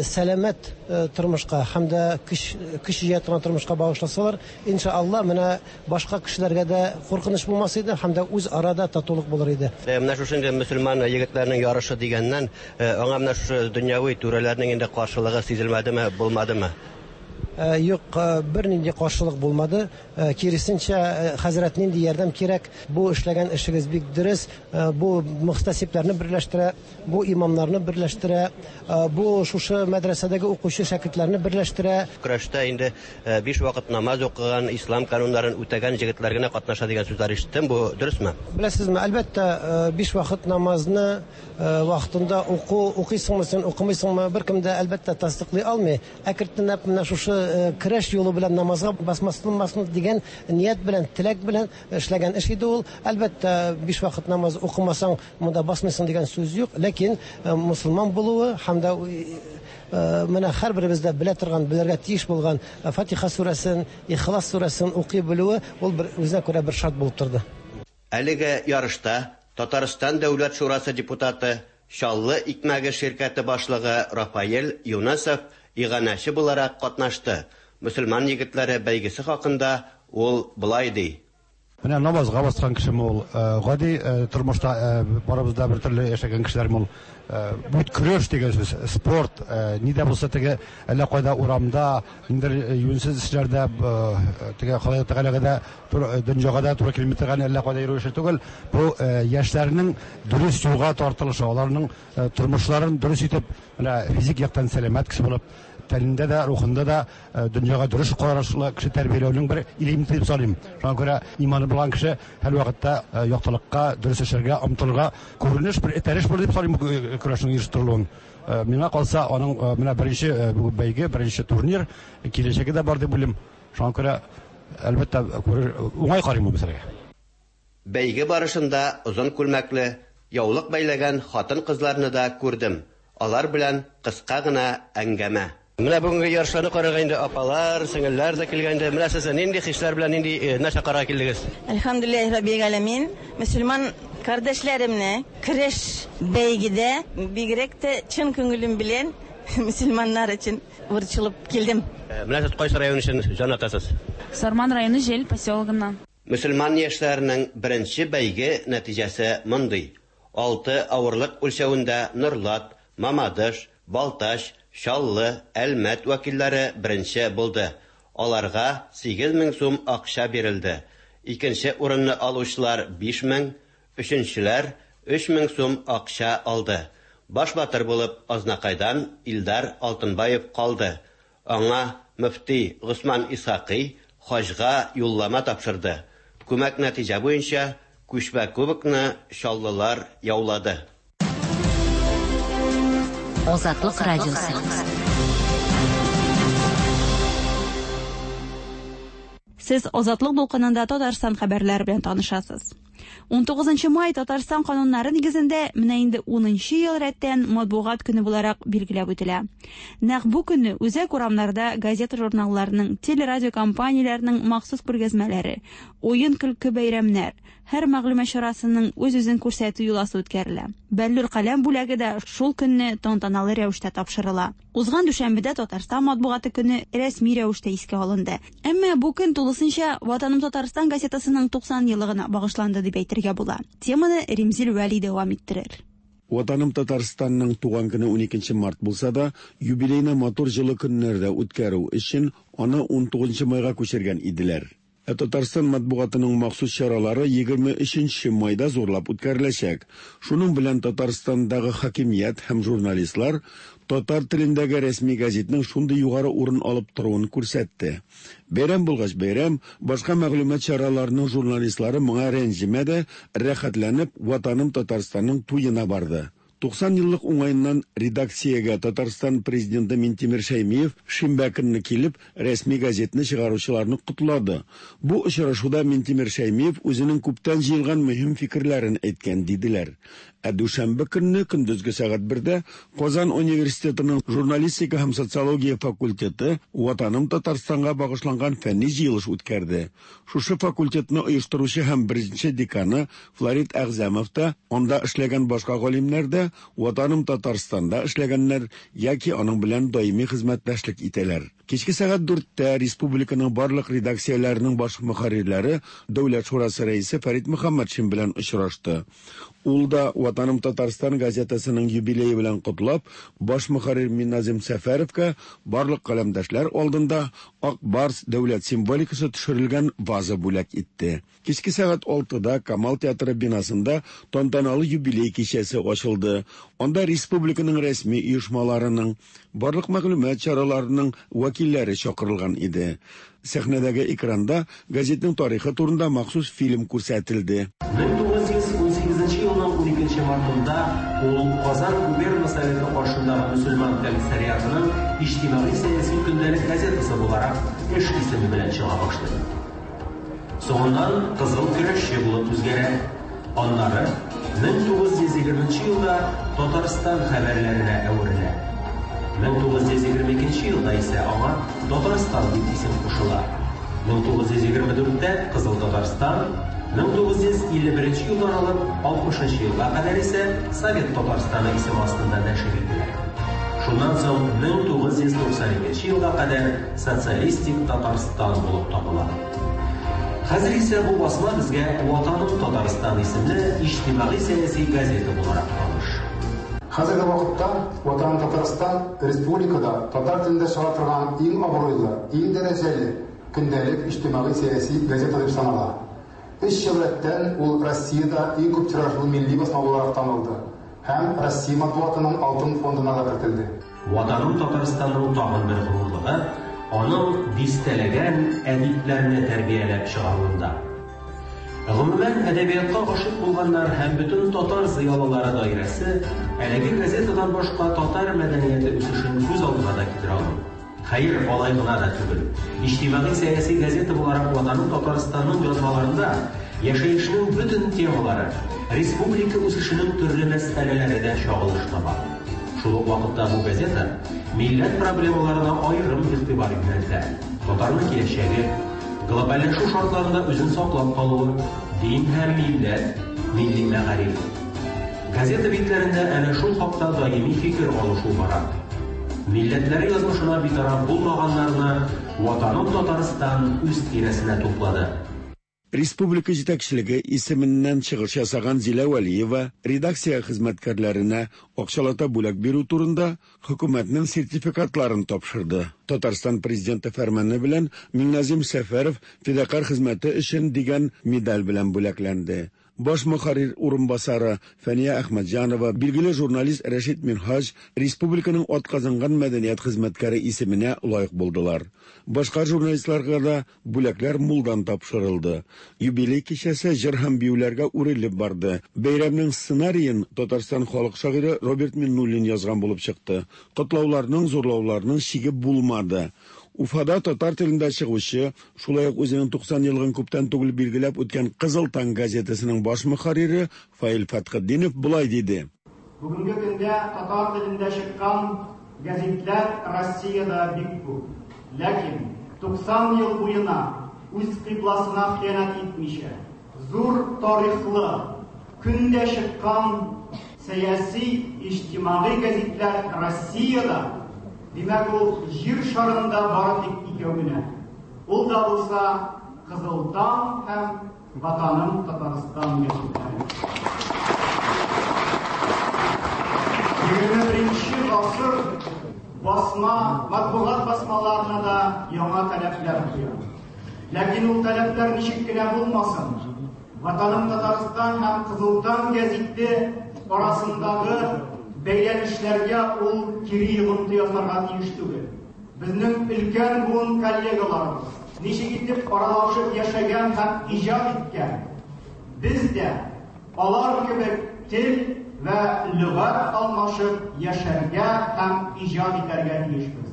сәламәт тормышка һәм дә көч көч җыя торган тормышка багышласалар, иншалла, менә башка кешеләргә дә куркыныч булмас иде һәм дә үз арада татулык булыр иде. Менә шушы инде мөселман егетләренең ярышы дигәннән, аңа менә шушы дөньяви түрәләрнең инде каршылыгы сизелмәдеме, булмадымы? Юк, бернинди каршылык булмады. Киресенчә, хәзрәт, нинди ярдәм кирәк, бу эшләгән эшегез бик дөрес, бу мөхтәсибләрне берләштерә, бу имамнарны берләштерә, бу шушы мәдрәсәдәге укучы шәкертләрне берләштерә. Көрәштә инде биш вакыт намаз укыган, ислам кануннарын үтәгән егетләр генә катнаша дигән сүзләр ишеттем. Бу дөресме? Беләсезме, әлбәттә, биш вакыт намазны вакытында уку, укыйсыңмы син, укымыйсыңмы, беркем дә әлбәттә тасдыклый алмый. Әкренләп менә шушы көрәш юлы белән намазга басмасын дигән ният белән, теләк белән эшләгән эш иде ул. Әлбәттә, биш вакыт намаз укымасаң, монда басмыйсың дигән сүз юк, ләкин мусулман булуы һәм дә менә һәрберебез дә белә торган, белергә тиеш булган Фатиха сүрәсен, Ихлас сүрәсен укый белүе ул бер үзенә күрә бер шарт булып торды. Әлеге ярышта Татарстан Дәүләт Шурасы депутаты, Чаллы икмәге ширкәте башлыгы Рафаэль Юнасов иганәче буларак катнашты. Мөселман егетләре бәйгесе хакында ул былай ди. Менә намазга баскан кешеме ул, гади тормышта барыбыз да бер төрле яшәгән кешеләрме ул. Бу көрәш дигән сүз, спорт, ни дә булса теге әллә кайда урамда, ниндер юньсез эшләрдә, теге Ходай Тәгаләгә дә, дөньяга да туры килми торган әллә кайда йөрү эше түгел. Бу яшьләрнең дөрес юлга тартылышы, аларның тормышларын дөрес итеп, менә физик яктан сәламәт кеше булып, тәнендә дә, рухында да дөньяга дөрес карашлы кеше тәрбияләүнең бер элементы дип саныйм. Шуңа күрә иманы булган кеше һәр вакытта яктылыкка, дөрес эшләргә омтылырга күренеш бер этәреш булыр дип саныйм көрәшнең оештырылуын. Миңа калса, аның менә беренче бәйге, беренче турнир киләчәге дә бар дип уйлыйм. Шуңа күрә әлбәттә уңай карыйм бу мәсьәләгә. Бәйге барышында озын күлмәкле, яулык бәйләгән хатын-кызларны да күрдем. Алар белән кыска гына әңгәмә. Менә бүгенге ярышларны карарга инде апалар, сеңелләр дә килгән инде. Менә сез нинди хисләр белән, нинди нәрсә карарга килдегез? Әлхәмдүлилләһи раббил галәмин. Мөселман кардәшләремне көрәш бәйгедә бигрәк тә чын күңелем белән мөселманнар өчен борчылып килдем. Менә сез кайсы район өчен җан атасыз? Сарман районы Җел поселогыннан. Мөселман яшьләренең беренче бәйге нәтиҗәсе мондый. Алты авырлык үлчәвендә Нурлат, Мамадыш, Балтач, Чаллы, Әлмәт вәкилләре беренче булды. Аларга сигез мең сум акча бирелде. Икенче урынны алучылар биш мең, өченчеләр өч мең сум акча алды. Баш батыр булып Азнакайдан Илдар Алтынбаев калды. Аңа мөфти Госман Исхакый хаҗга юллама тапшырды. Күмәк нәтиҗә буенча күчмә кубокны чаллылар яулады. Азатлык радиосы. Сез Азатлык дулкынында Татарстан хәбәрләре белән танышасыз. ун тугызынчы май Татарстан кануннары нигезендә менә инде унынчы ел рәттән матбугат көне буларак билгеләп үтелә. Нәкъ бу көнне үзәк урамнарда газета-журналларның, телерадиокомпанияләрнең махсус күргәзмәләре, уен-көлке бәйрәмнәр, һәр мәгълүмат чарасының үз-үзен күрсәтү йоласы үткәрелә. Бәллүр каләм бүләге дә шул көнне тантаналы рәвештә тапшырыла. Узган дүшәмбедә Татарстан матбугаты көне рәсми рәвештә искә алынды. Әмма бу көн тулысынча Ватаным Татарстан газетасының туксан еллыгына багышланды дип әйтергә була. Теманы Римзил Вәли дәвам иттерер. Ватаным Татарстанның туган көне ун икенче март булса да, юбилейны матур җылы көннәрдә үткәрү өчен аны ун тугызынчы майга күчергән иделәр. Ә Татарстан матбугатының махсус чаралары егерме өченче майда зурлап үткәреләчәк. Шуның белән Татарстандагы хакимият һәм журналистлар татар телендәге рәсми газетның шундый югары урын алып торуын күрсәтте. Бәйрәм булгач бәйрәм, башка мәгълүмат чараларының журналистлары моңа рәнҗемәде, рәхәтләнеп Ватаным Татарстанның туена барды. Туксан еллык уңаеннан редакциягә Татарстан президенты Минтимер Шәймиев шимбә көнне килеп, рәсми газетны чыгаручыларны котлады. Бу очрашуда Минтимер Шәймиев үзенең күптән җыелган мөһим фикерләрен әйткән, диделәр. Ә дүшәмбе көнне көндезге сәгать бердә Казан университетының журналистика һәм социология факультеты Ватаным Татарстанга багышланган фәнни җыелыш үткәрде. Шушы факультетны оештыручы һәм беренче деканы Флорид Әгъзәмов та, анда эшләгән башка галимнәр дә Ватаным Татарстанда эшләгәннәр яки аның белән даими хезмәттәшлек итәләр. Кичке сәгать дүрттә республиканың барлык редакцияләренең баш мөхәррирләре Дәүләт шурасы рәисе Фәрит Мөхәммәтшин белән очрашты. Ул да Ватаным Татарстан газетасының юбилее белән котлап, баш мөхәррир Минназим Сәфәровка барлык каләмдәшләр алдында Ак Барс дәүләт символикасы төшерелгән ваза бүләк итте. Кичке сәгать алтыда Камал театры бинасында тантаналы юбилей кичәсе ачылды. Анда республиканың рәсми оешмаларының, барлык мәгълүмат чараларының вәкилләре чакырылган иде. Сәхнәдәге экранда газетның тарихы турында махсус фильм күрсәтелде. мең тугыз йөз унсигезенче елның уникенче мартында ул Казан губерна советы каршындагы мөселман комиссариатының иҗтимагый-сәяси көндәлек газетасы буларак эш исеме белән чыга башлый. Соңыннан Кызыл көрәшче булып үзгәрә. Аннары мең тугыз йөз егерменче елда Татарстан хәбәрләренә әверелә. мең тугыз йөз егерме икенче елда исә аңа Татарстан дип исем кушыла. мең тугыз йөз егерме дүрттә Кызыл Татарстан, мең тугыз йөз илле беренче елдан алып алтмышынчы елга кадәр исә Совет Татарстаны исеме астында нәшер ителә. Шуннан соң мең тугыз йөз туксан икенче елга кадәр Социалистик Татарстан булып табыла. Хәзер исә бу басма безгә Ватаным Татарстан исемле иҗтимагый-сәяси газета буларак таныш. Хәзерге вакытта Ватаным Татарстан республикада татар телендә чыга торган иң абруйлы, иң дәрәҗәле көндәлек иҗтимагый-сәяси газета дип санала. Өч ел рәттән ул Россиядә иң күп тиражлы милли басма буларак танылды һәм Россия матбугатының алтын фондына да кертелде. Ватаным Татарстанның тагын бер горурлыгы аның дистәләгән әдипләрне тәрбияләп чыгаруында. Гомумән, әдәбиятка гашыйк булганнар һәм бөтен татар зыялылары даирәсе әлеге газетадан башка татар мәдәнияте үсешен күз алдына да китерә алмый. Хәер, алай гына да түгел. Иҗтимагый-сәяси газета буларак Ватаным Татарстанның язмаларында яшәешнең бөтен темалары, республика үсешенең төрле мәсьәләләре дә чагылыш таба. Шул ук вакытта бу газета милләт проблемаларына аерым игътибар юнәлтә. Татарның киләчәге, глобальләшү шартларында үзен саклап калуы, дин һәм милләт, милли мәгариф. Газета битләрендә әнә шул хакта даими фикер алышу бара. Милләтләре язмышына битараф булмаганнарны Ватаным Татарстан үз тирәсенә туплады. Республика җитәкчелеге исеменнән чыгыш ясаган Зилә Вәлиева редакция хезмәткәрләренә акчалата бүләк бирү турында хөкүмәтнең сертификатларын тапшырды. Татарстан президенты фәрманы белән Минназим Сәфәров фидакарь хезмәте өчен дигән медаль белән бүләкләнде. Баш мөхәррир урынбасары Фәния Әхмәтҗанова, билгеле журналист Рәшит Минһаҗ республиканың атказанган мәдәният хезмәткәре исеменә лаек булдылар. Башка журналистларга да бүләкләр мулдан тапшырылды. Юбилей кичәсе җыр һәм биюләргә үрелеп барды. Бәйрәмнең сценариен Татарстан халык шагыйре Роберт Миннуллин язган булып чыкты. Котлауларның, зурлауларның чиге булмады. Уфада татар телендә чыгучы, шулай ук үзенең туксан еллыгын күптән түгел билгеләп үткән Кызыл таң газетасының баш мөхәррире Фаил Фәтхетдинов болай диде. Бүгенге көндә татар телендә чыккан газетлар Россиядә бик күп. Ләкин туксан ел буена үз кыйбласына хыянәт итмичә, зур тарихлы, көндә чыккан сәяси, иҗтимагый газетлар Россиядә, димәк, ул җир шарында бары тик икәү генә. Ул да булса Кызыл таң һәм Ватаным Татарстан газетлары. Егерме беренче гасыр басма, матбугат басмаларына да яңа таләпләр куя. Ләкин ул таләпләр ничек кенә булмасын, Ватаным Татарстан һәм Кызыл таң гәзите арасындагы бәйләнешләргә ул кире йогынты ясарга тиеш түгел. Безнең өлкән буын коллегаларыбыз ничек итеп аралашып яшәгән һәм иҗат иткән, без дә алар кебек тел вә лөгать алмашып яшәргә һәм иҗат итәргә тиешбез.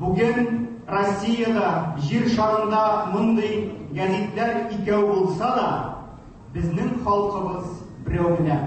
Бүген Россиядә, җир шарында мондый гәзитләр икәү булса да, безнең халкыбыз берәү генә.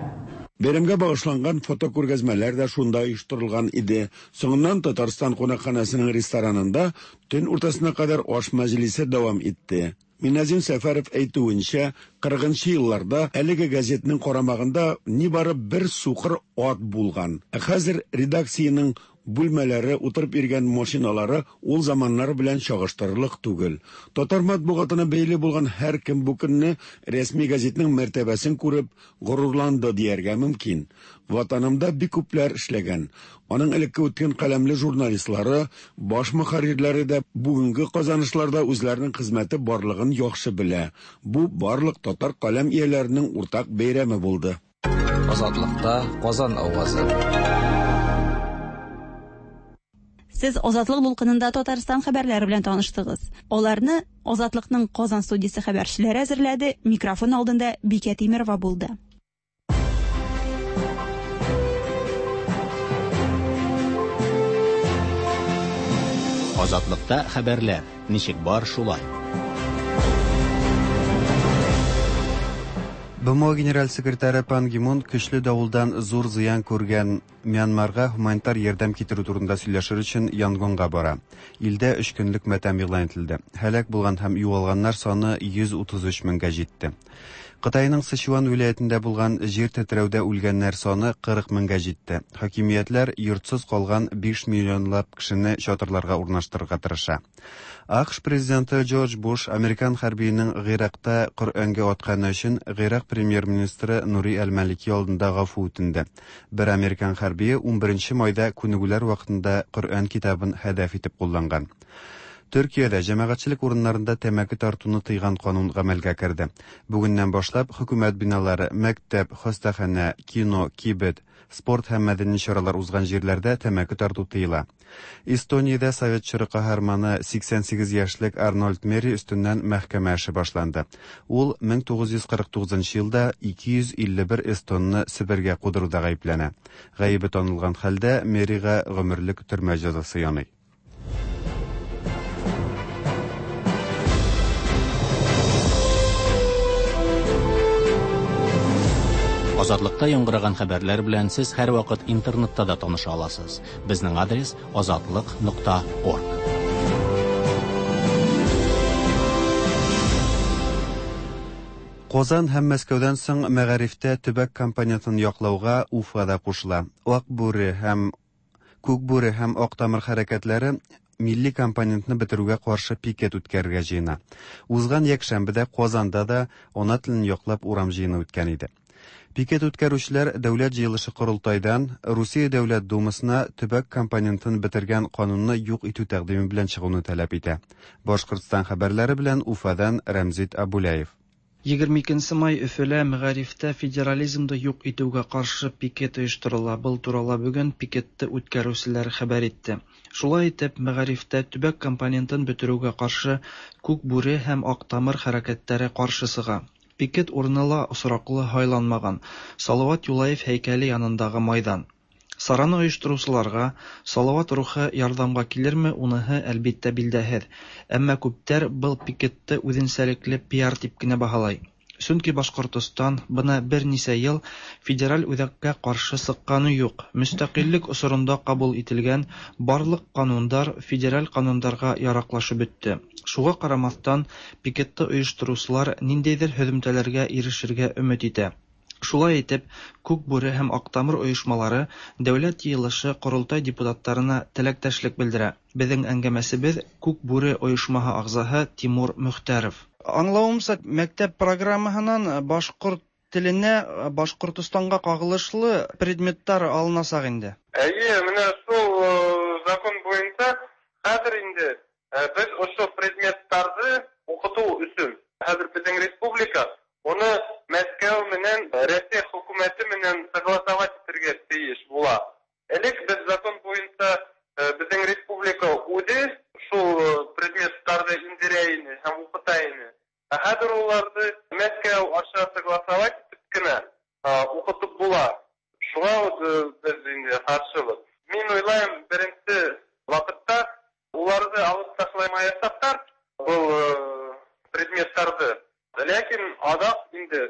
Бәйрәмгә багышланган фотокүргәзмәләр дә шунда оештырылган иде. Соңыннан Татарстан кунакханәсенең ресторанында төн уртасына кадәр аш мәҗлесе дәвам итте. Миназим Сәфәров әйтүенчә, кырыгынчы елларда әлеге газетның карамагында нибары бер сукыр ат булган. Ә хәзер редакциянең бүлмәләре, утырып йөргән машиналары ул заманнар белән чагыштырырлык түгел. Татар матбугатына бәйле булган һәркем бу көнне рәсми газетның мәртәбәсен күреп горурланды дияргә мөмкин. Ватанымда бик күпләр эшләгән. Аның элекке үткән каләмле журналистлары, баш мөхәррирләре дә бүгенге казанышларда үзләренең хезмәте барлыгын яхшы белә. Бу барлык татар каләм ияләренең уртак бәйрәме булды. Азатлыкта Казан авазы. Сез Азатлык дулкынында Татарстан хәбәрләре белән таныштыгыз. Аларны Азатлыкның Казан студиясе хәбәрчеләре әзерләде. Микрофон алдында Бикә Тимерова булды. Азатлыкта хәбәрләр ничек бар шулай. Б М О генераль секретаре Пан Ги Мун көчле давылдан зур зыян күргән Мьянмарга гуманитар ярдәм китерү турында сөйләшер өчен Янгонга бара. Илдә өч көнлек матәм игълан ителде. Һәлак булган һәм югалганнар саны йөз утыз өч меңгә җитте. Кытайның Сычуан вилаятендә булган җир тетрәүдә үлгәннәр саны кырык меңгә җитте. Хакимиятләр йортсыз калган биш миллионлап кешене чатырларга урнаштырырга тырыша. А К Ш президенты Джордж Буш американ хәрбиенең Гыйракта Коръәнгә атканы өчен Гыйрак премьер-министры Нури әл-Малики алдында гафу үтенде. Бер американ хәрбие унберенче майда күнегүләр вакытында Коръән китабын һәдәф итеп кулланган. Төркиядә җәмәгатьчелек урыннарында тәмәке тартуны тыйган канун гамәлгә керде. Бүгеннән башлап хөкүмәт биналары, мәктәп, хастаханә, кино, кибет, спорт һәм мәдәни чаралар узган җирләрдә тәмәке тарту тыела. Эстониядә совет чоры каһарманы сиксән сигез яшьлек Арнольд Мери өстеннән мәхкәмә эше башланды. Ул мең тугыз йөз кырык тугызынчы елда ике йөз илле бер эстонны Себергә кудыруда гаепләнә. Гаебе танылган хәлдә Мерига гомерлек төрмә җәзасы яный. Азатлыкта яңгыраган хәбәрләр белән сез һәрвакыт интернетта да таныша аласыз. Безнең адрес азатлык нокта орг. Казан һәм Мәскәүдән соң мәгарифтә төбәк компонентын яклауга Уфа да кушыла. Ак бүре һәм Күк бүре һәм Ак тамыр хәрәкәтләре милли компонентны бетерүгә каршы пикет үткәрергә җыена. Узган якшәмбедә Казанда да ана телен яклап урам җыены үткән иде. Пикет үткәрүчеләр Дәүләт җыелышы Корылтайдан Русия Дәүләт Думасына төбәк компонентын бетергән канунны юк итү тәкъдиме белән чыгуны таләп итә. Башкортстан хәбәрләре белән Уфадан Рәмзит Абуляев. Егерме икенче май Өфөлә мәгарифтә федерализмды юк итүгә каршы пикет оештырыла. Был турала бүген пикетте үткәрүселәр хәбәр итте. Шулай итеп, мәгарифтә төбәк компонентын бетерүгә каршы Күк бүре һәм Ак тамыр хәрәкәтләре каршы сыга. Пикет урыны ла осраклы һайланмаган. Салават Юлаев һәйкәле янындагы майдан. Сараны оештыручыларга Салават рухы ярдәмгә килерме, уныһы әлбиттә билдәһеҙ. Әмма күптәр был пикетте үҙенсәлекле пиар дип кенә баһалай. Сөнки Башҡортостан бына бер нисә йыл федераль үҙәккә ҡаршы сыҡҡаны юҡ. Мөстәҡиллек осоронда ҡабул ителгән барлыҡ ҡанундар федераль ҡанундарға яраҡлашып бөттө. Шуға ҡарамаҫтан, пикетты ойоштороусылар ниндәйҙер һөҙөмтәләргә ирешергә өмөт итә. Шулай итеп, Күк бүре һәм Ак тамыр ойошмалары Дәүләт йыйылышы Ҡоролтай депутаттарына теләктәшлек белдерә. Беҙҙең әңгәмәсебеҙ Күк бүре ойошмаһы ағзаһы Тимур Мөхтәров. Аңлауымса, мәктәп программаһынан башҡорт теленә, Башҡортостанға ҡағылышлы предметтар алынасаҡ инде. Әйе, менә шул, э, закон буйынса хәҙер инде, э, беҙ ошо предметтарҙы укыту өчен хәзер безнең республика уны Мәскәү менән Россия хөкүмәте менән согласовать итәргә тиеш була. Элек без закон буенча безнең республика үзе шул предметларны индерә ине һәм укыта ине. Ә хәзер уларны Мәскәү аша согласовать итеп кенә укытып була. Шуңа без инде каршыбыз. Мин уйлыйм, беренче вакытта уларны алып ташламаячаклар бу предметларны. Ләкин азак инде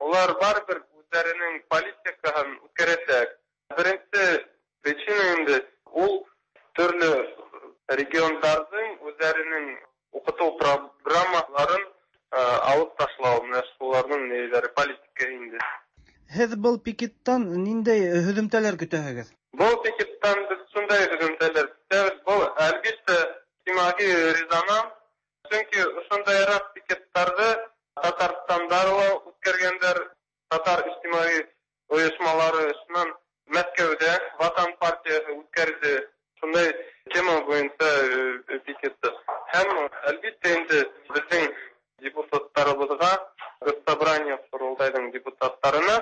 улар барыбер үзләренең политикасын үткәрәчәк. Беренче причина инде ул төрле регионнарның үзләренең укыту программаларын алып ташлау, менә шуларның ниләре политика инде. Һеҙ был пикеттан ниндәй һөҙөмтәләр көтәһегеҙ? Был пикеттан беҙ шундай һөҙөмтәләр көтәбеҙ. Был, әлбиттә, иҗтимағи резонанс, сөнки ошондайыраҡ пикеттарҙы Татарстанда ла үткәргәндәр, татар иҗтимағи ойошмалары шунан Мәскәүҙә Ватан партияһы үткәрҙе шундай тема буйынса пикетты. Һәм, әлбиттә, инде беҙҙең депутаттарыбыҙға, Госсобрание ҡоролтайҙың депутаттарына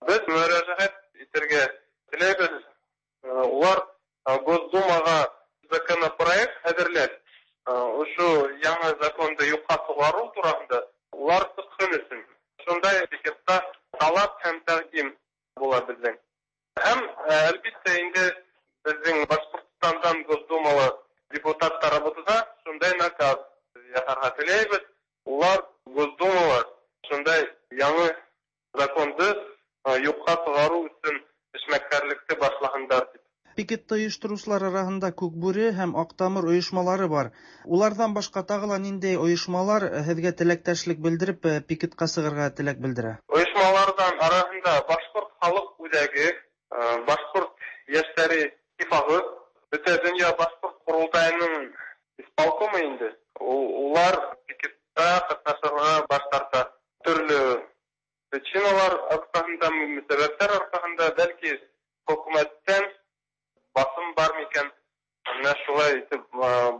беҙ мөрәжәғәт итергә теләйбеҙ. Улар Госдумаға законопроект әҙерләп, ошо яңы законды юҡҡа сығарыу тураһында улар сыҡһын өсөн. Шундай пикетта талап һәм тәҡдим була беҙҙең. Һәм, әлбиттә, инде беҙҙең Башҡортостандан Госдумала депутаттарыбыҙға шундай наказ яһарға теләйбеҙ. Улар Госдумала шундай яңы законды юҡҡа сығарыу өсөн эшмәкәрлекте башлаһындар тип. Пикетты ойоштороусылар араһында Күкбүре һәм Аҡтамыр ойошмалары бар. Уларҙан башҡа тағы ла ниндәй ойошмалар һеҙгә теләктәшлек белдереп пикетҡа сығырға теләк белдерә? Ойошмаларҙан араһында Башҡорт халыҡ үҙәге, Башҡорт йәштәре иттифағы, Бөтә донъя Башҡорт ҡоролтайының исполкомы инде. Улар пикетта ҡатнашырға баш тарта. Төрлө причиналар арҡаһында, сәбәптәр арҡаһында, бәлки хөкүмәттән басым бар микән, менә шулай итеп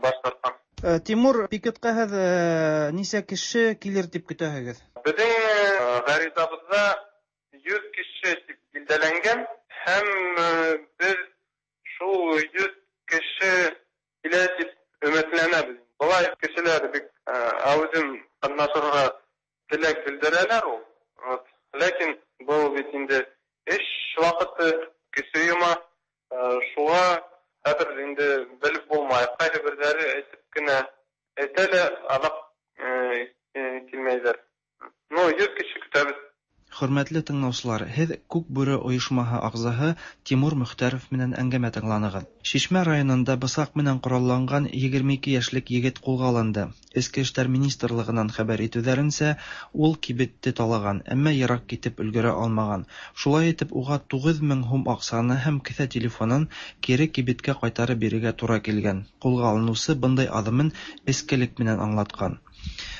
баш тарткан. Тимур, пикетҡа һеҙ нисә кеше килер тип көтәһегеҙ? Беҙҙең ғаризабыҙҙа йөҙ кеше тип билдәләнгән, һәм беҙ шул йөҙ кеше килә тип өмөтләнәбеҙ. Былай кешеләр бик әүҙем ҡатнашырға теләк белдерәләр ул. Ләкин был бит инде эш ваҡыты, кеше йома, шуға хәҙер инде белеп булмай. Ҡайһы берҙәре әйтеп кенә әйтә лә, аҙаҡ килмәйҙәр. Ну, йөҙ кеше көтәбеҙ. Хөрмәтле тыңлаусылар, һеҙ Күкбүре ойошмаһы ағзаһы Тимур Мөхтәров менән әңгәмә тыңланығыҙ. Шишмә районында бысаҡ менән ҡоралланған егерме ике йәшлек егет ҡулға алынды. Эске эштәр министрлығынан хәбәр итеүҙәренсә, ул кибетте талаған, әммә йыраҡ китеп өлгөрә алмаған. Шулай итеп, уға туғыҙ мең һум аҡсаны һәм кеҫә телефонын кире кибеткә ҡайтарып бирергә тура килгән. Ҡулға алыныусы бындай аҙымын эскелек менән аңлатҡан.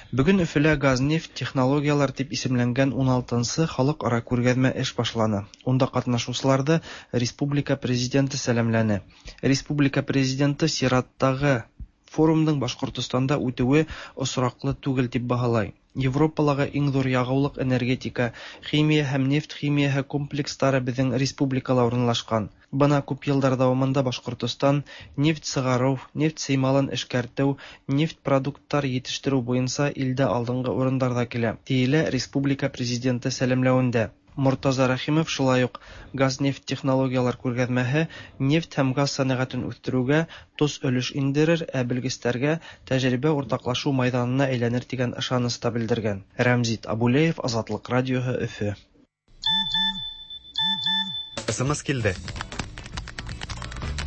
Бөгөн Өфөлә газ-нефть технологиялар тип исемләнгән ун алтынсы халыҡ-ара күргәҙмә эш башланы. Унда ҡатнашыусыларҙы республика президенты сәләмләне. Республика президенты сираттағы форумдың Башҡортостанда үтеүе осраҡлы түгел тип баһалай. Европалағы иң ҙур яғыулыҡ энергетика, химия һәм нефть химияһы комплекстары беҙҙең республикала урынлашҡан. Бына күп йылдар дауамында Башҡортостан нефть сығарыу, нефть сеймалын эшкәртеү, нефть продукттар етештереү буйынса илдә алдынғы урындарҙа килә, тиелә республика президенты сәләмләүендә. Мортаза Рәхимов шулай уҡ газ-нефть технологиялар күргәҙмәһе нефть һәм газ сәнәғәтен үҫтереүгә тос өлөш индерер, ә белгестәргә тәжрибә уртаҡлашыу майҙанына әйләнер тигән ышаныс та белдергән. Рәмзит Абулеев, Азатлыҡ радиоһы, Өфө. СМС килде.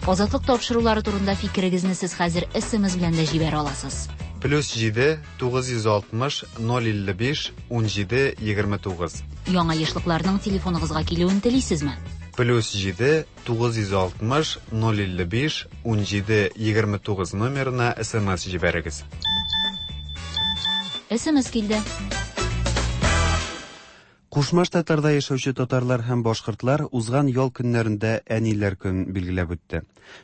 Азатлыҡ тапшырыулары турында фикерегеҙҙе һеҙ хәҙер СМС белән дә җибәрә аласыз. Плюс җиде, тугыз йөз алтмыш, ноль илле биш, ун җиде, егерме тугыз. Яңа ешлыкларның телефоныгызга килүен телисезме? Плюс җиде, тугыз йөз алтмыш, ноль илле биш, ун җиде, егерме тугыз номерына СМС җибәрегез. СМС килде. Кушма Штатларда яшәүче татарлар һәм башкортлар узган ял көннәрендә Әниләр көнен билгеләп үтте.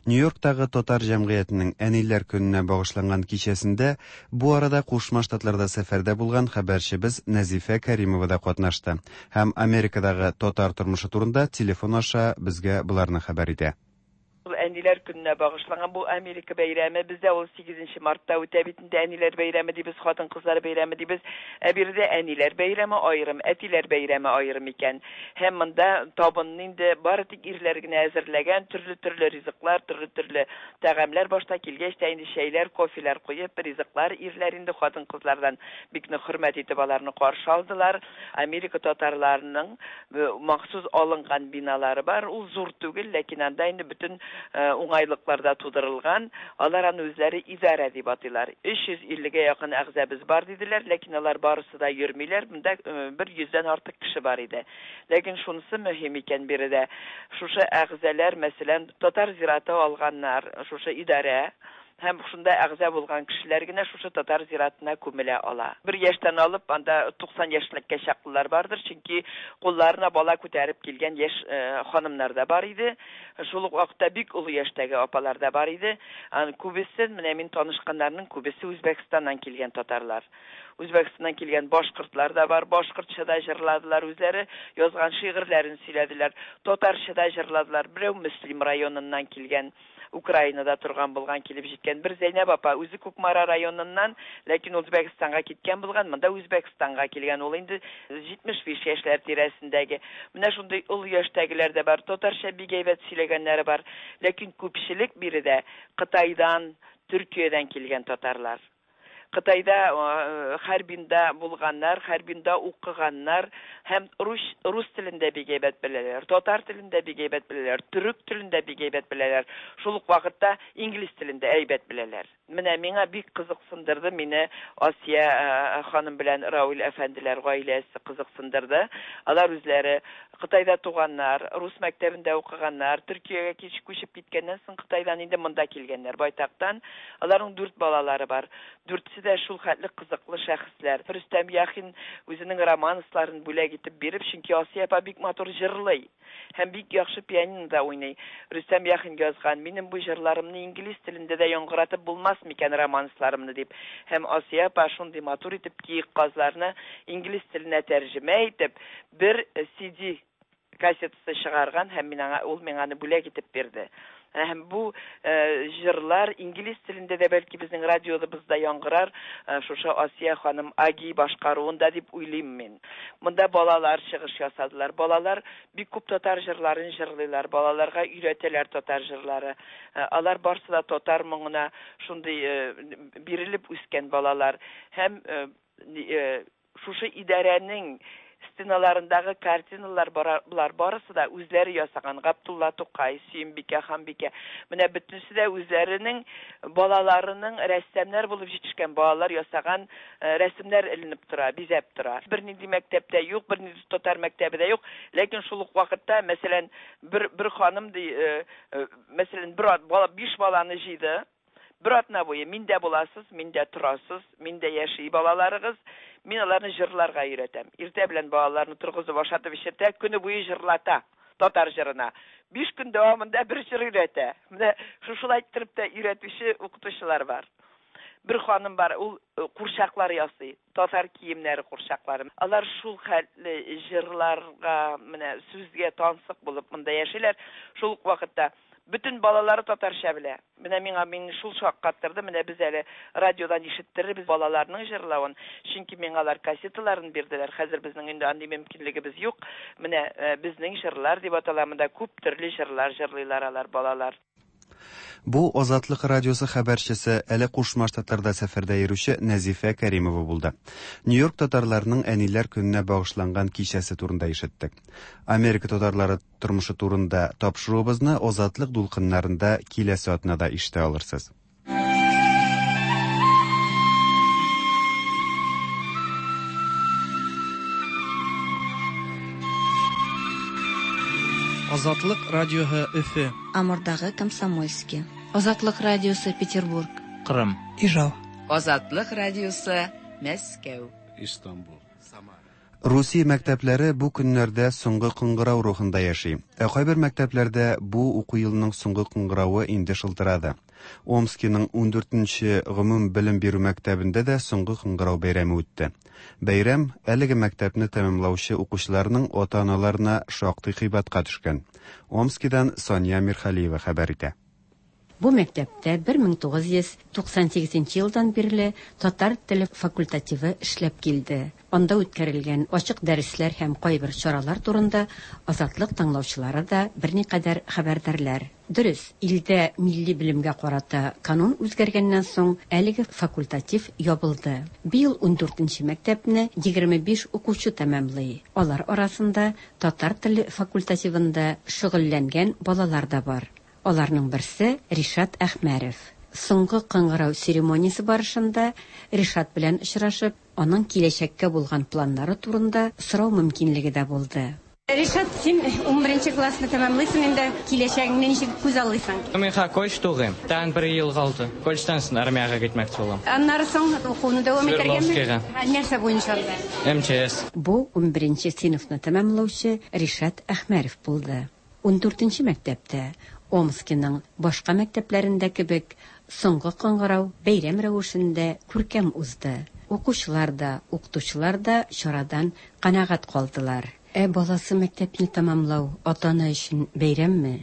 Нью-Йорктагы татар җәмгыятенең Әниләр көненә багышланган кичәсендә бу арада Кушма Штатларда сәфәрдә булган хәбәрчебез Нәзифә Кәримова да катнашты һәм Америкадагы татар тормышы турында телефон аша безгә боларны хәбәр итә. Әниләр көненә багышланган бу Америка бәйрәме бездә ул сигезенче мартта үтә бит инде. Әниләр бәйрәме дибез, хатын-кызлар бәйрәме дибез. Ә биредә әниләр бәйрәме аерым, әтиләр бәйрәме аерым икән. Һәм монда табынны инде бары тик ирләр генә әзерләгән, төрле-төрле ризыклар, төрле-төрле тәгамләр. Башта килгәч тә инде чәйләр, кофелар куеп, ризыклар ирләр инде хатын-кызлардан бик нык хөрмәт итеп аларны каршы алдылар. Америка татарларының махсус алынган биналары бар. Ул зур түгел, ләкин анда инде бөтен уңайлыкларда тудырылган. Алар аны үзләре идарә дип атыйлар. өч йөз иллегә якын әгъзабыз бар диделәр, ләкин алар барысы да йөрмиләр. Монда бер йөздән артык кеше бар иде. Ләкин шунысы мөһим икән биредә. Шушы әгъзалар, мәсәлән, татар зираты алганнар, шушы идарә һәм шунда әгъза булган кешеләр генә шушы татар зиратына күмелә ала. Бер яшьтән алып анда туксан яшьлеккә чаклылар бардыр, чөнки кулларына бала күтәреп килгән яшь ханымнар да бар иде. Шул ук вакытта бик олы яшьтәге апалар да бар иде. Аны күбесе, менә мин танышканнарның күбесе Үзбәкстаннан килгән татарлар. Үзбәкстаннан килгән башкортлар да бар. Башкортча да җырладылар, үзләре язган шигырьләрен сөйләделәр. Татарча да җырладылар. Берәү Мөслим районыннан килгән, Украинада торган булган, килеп җиткән бер Зәйнәб апа, үзе Кукмара районыннан, ләкин Үзбәкстанга киткән булган, монда Үзбәкстанга килгән, ул инде җитмеш биш яшьләр тирәсендәге. Менә шундый олы яшьтәгеләр дә бар, татарча бик әйбәт сөйләгәннәре бар, ләкин күпчелек биредә Кытайдан, Төркиядән килгән татарлар. Кытайда, Харбинда булганнар, Харбинда укыганнар һәм рус, рус телендә бик әйбәт беләләр, татар телендә бик әйбәт беләләр, төрек телендә бик әйбәт беләләр, шул ук вакытта инглиз телендә әйбәт беләләр. Менә миңа бик кызыксындырды, мине Асия ханым белән Рауль әфәнделәр гаиләсе кызыксындырды. Алар үзләре Кытайда туганнар, рус мәктәбендә укыганнар, Төркиягә кич күчеп киткәннән соң Кытайдан инде монда килгәннәр байтактан. Аларның дүрт балалары бар. Дүртесе дә шул хәтле кызыклы шәхесләр. Рөстәм Яхин үзенең романсларын бүләк итеп биреп, чөнки Асия апа бик матур җырлый һәм бик яхшы пианинода уйный. Рөстәм Яхин язган: "Минем бу җырларымны инглиз телендә дә яңгыратып булмас микән романсларымны" дип. Һәм Асия апа шундый матур итеп киек казларны инглиз теленә тәрҗемә итеп бер си ди кассетасы чыгарган һәм мин аңа, ул миңа аны бүләк итеп бирде. Һәм бу җырлар инглиз телендә дә бәлки безнең радиобызда яңгырар, шушы Асия ханым Аги башкаруында дип уйлыйм мин. Монда балалар чыгыш ясадылар. Балалар бик күп татар җырларын җырлыйлар, балаларга өйрәтәләр татар җырлары. Алар барсы да татар моңына шундый бирелеп үскән балалар. Һәм шушы идарәнең стеналарындагы картиналар булар барысы да үзләре ясаган. Габдулла Тукай, Сөембикә, Ханбикә. Менә бөтенесе дә үзләренең балаларының рәссамнар булып җитешкән балалар ясаган рәсемнәр эленеп тора, бизәп тора. Бернинди мәктәптә юк, бернинди татар мәктәбе дә юк, ләкин шул ук вакытта, мәсәлән, бер бер ханым ди, мәсәлән, бер бала биш баланы җыйды. Бер атна буе миндә буласыз, миндә торасыз, миндә яши балаларыгыз, мин аларны җырларга өйрәтәм. Иртә белән балаларны торгызып ашатып эчертә, көне буе җырлата татар җырына. Биш көн дәвамында бер җыр өйрәтә. Менә шушылай иттереп тә өйрәтүче укытучылар бар. Бер ханым бар, ул курчаклар ясый, татар киемнәре курчаклары. Алар шул хәтле җырларга, менә сүзгә тансык булып монда яшиләр. Шул ук вакытта бөтен балалары татарча белә. Менә миңа мине шул шаккаттырды. Менә без әле радиодан ишеттерербез балаларның җырлавын. Чөнки миңа алар кассеталарын бирделәр. Хәзер безнең инде андый мөмкинлегебез юк. Менә безнең җырлар дип атала, монда күп төрле җырлар җырлыйлар алар балалар. Бу Азатлык радиосы хәбәрчесе, әле Кушма Штатларда сәфәрдә йөрүче Нәзифә Кәримова булды. Нью-Йорк татарларының Әниләр көненә багышланган кичәсе турында ишеттек. Америка татарлары тормышы турында тапшыруыбызны Азатлык дулкыннарында киләсе атнада ишетә алырсыз. Азатлык радиоһы Өфө. Амурдагы Комсомольский. Азатлык радиосы Петербург. Кырым. Ижау. Азатлык радиосы Мәскәү. Истанбул. Самара. Русия мәктәпләре бу көннәрдә соңгы кыңгырау рухында яши. Ә кайбер мәктәпләрдә бу уку елының соңгы кыңгыравы инде шылтырады. Омскиның ундүртенче гомум белем бирү мәктәбендә дә соңгы кыңгырау бәйрәме үтте. Бәйрәм әлеге мәктәпне тәмамлаучы укучыларның ата-аналарына шактый кыйбатка төшкән. Омскидан Сания Мирхалиева хәбәр итә. Бу мәктәптә бер мең тугыз йөз туксан сигезенче елдан бирле татар теле факультативы эшләп килде. Анда үткәрелгән ачык дәресләр һәм кайбер чаралар турында Азатлык тыңлаучылары да берникадәр хәбәрдарлар. Дөрес, илдә милли белемгә карата канун үзгәргәннән соң әлеге факультатив ябылды. Быел ундүртенче мәктәпне егерме биш укучы тәмамлый. Алар арасында татар теле факультативында шөгыльләнгән балалар да бар. Аларның берсе Ришат Әхмәров. Соңгы кыңгырау церемониясе барышында Ришат белән очрашып, аның киләчәккә булган планнары турында сорау мөмкинлеге дә булды. Ришат, син унберенче классны тәмамлыйсың инде, киләчәгеңне ничек күз аллыйсың? Мин ха колледж тугыйм. Тагын бер ел калды. Колледжтан соң армиягә китмәкче булам. Аннары соң укуны дәвам итәргәме? Свердловскийга. Нәрсә буенча анда? Эм Че Эс. Бу унберенче сыйныфны тәмамлаучы Ришат Әхмәров булды. Ундүртенче мәктәптә Омскиның башка мәктәпләрендә кебек соңгы кыңгырау бәйрәм рәвешендә күркәм узды. Укучылар да, укытучылар да чарадан канәгать калдылар. Ә баласы мәктәпне тәмамлау ата-ана өчен бәйрәмме?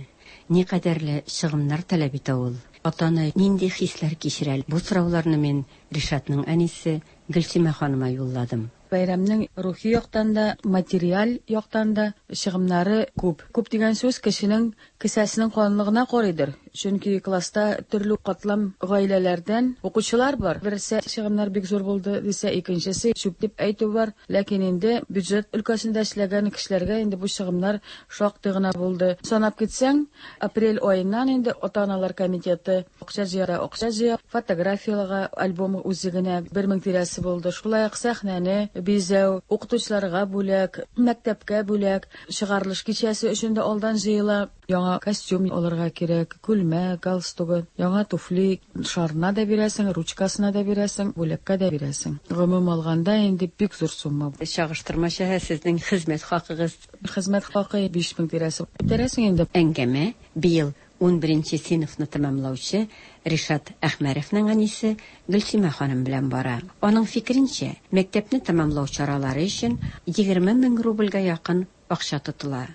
Ни кадәрле чыгымнар таләп итә ул? Ата-ана нинди хисләр кичерә? Бу сорауларны мин Ришатның әнисе Гөлсимә ханыма юлладым. Бәйрәмнең рухи яктан да, материаль яктан да чыгымнары күп. Күп дигән сүз кешенең кесәсенең калынлыгына карыйдыр. Чөнки класста төрле катлам гаиләләрдән укучылар бар. Берсе чыгымнар бик зур булды дисә, икенчесе чүп дип әйтү бар. Ләкин инде бюджет өлкәсендә эшләгән кешеләргә инде бу чыгымнар шактый гына булды. Санап китсәң, апрель аеннан инде ата-аналар комитеты акча җыя, акча җыя, фотографияләргә альбом үзе генә бер мең тирәсе булды. Шулай ук сәхнәне бизәү, укытучыларга бүләк, мәктәпкә бүләк, чыгарылыш кичәсе өчен дә алдан җыела. Яңа костюм алырга кирәк, күлмәк, галстугы, яңа туфли, шарына да бирәсең, ручкасына да бирәсең, бүләккә дә бирәсең. Гомум алганда инде бик зур сумма. Чагыштырмача сезнең хезмәт хакыгыз? Хезмәт хакы биш мең тирәсе. Үтерәсең инде. Әңгәмә быел унберенче сыйныфны тәмамлаучы Ришат Әхмәровның әнисе Гөлсимә ханым белән бара. Аның фикеренчә, мәктәпне тәмамлау чаралары өчен егерме мең рубльгә якын акча тотыла.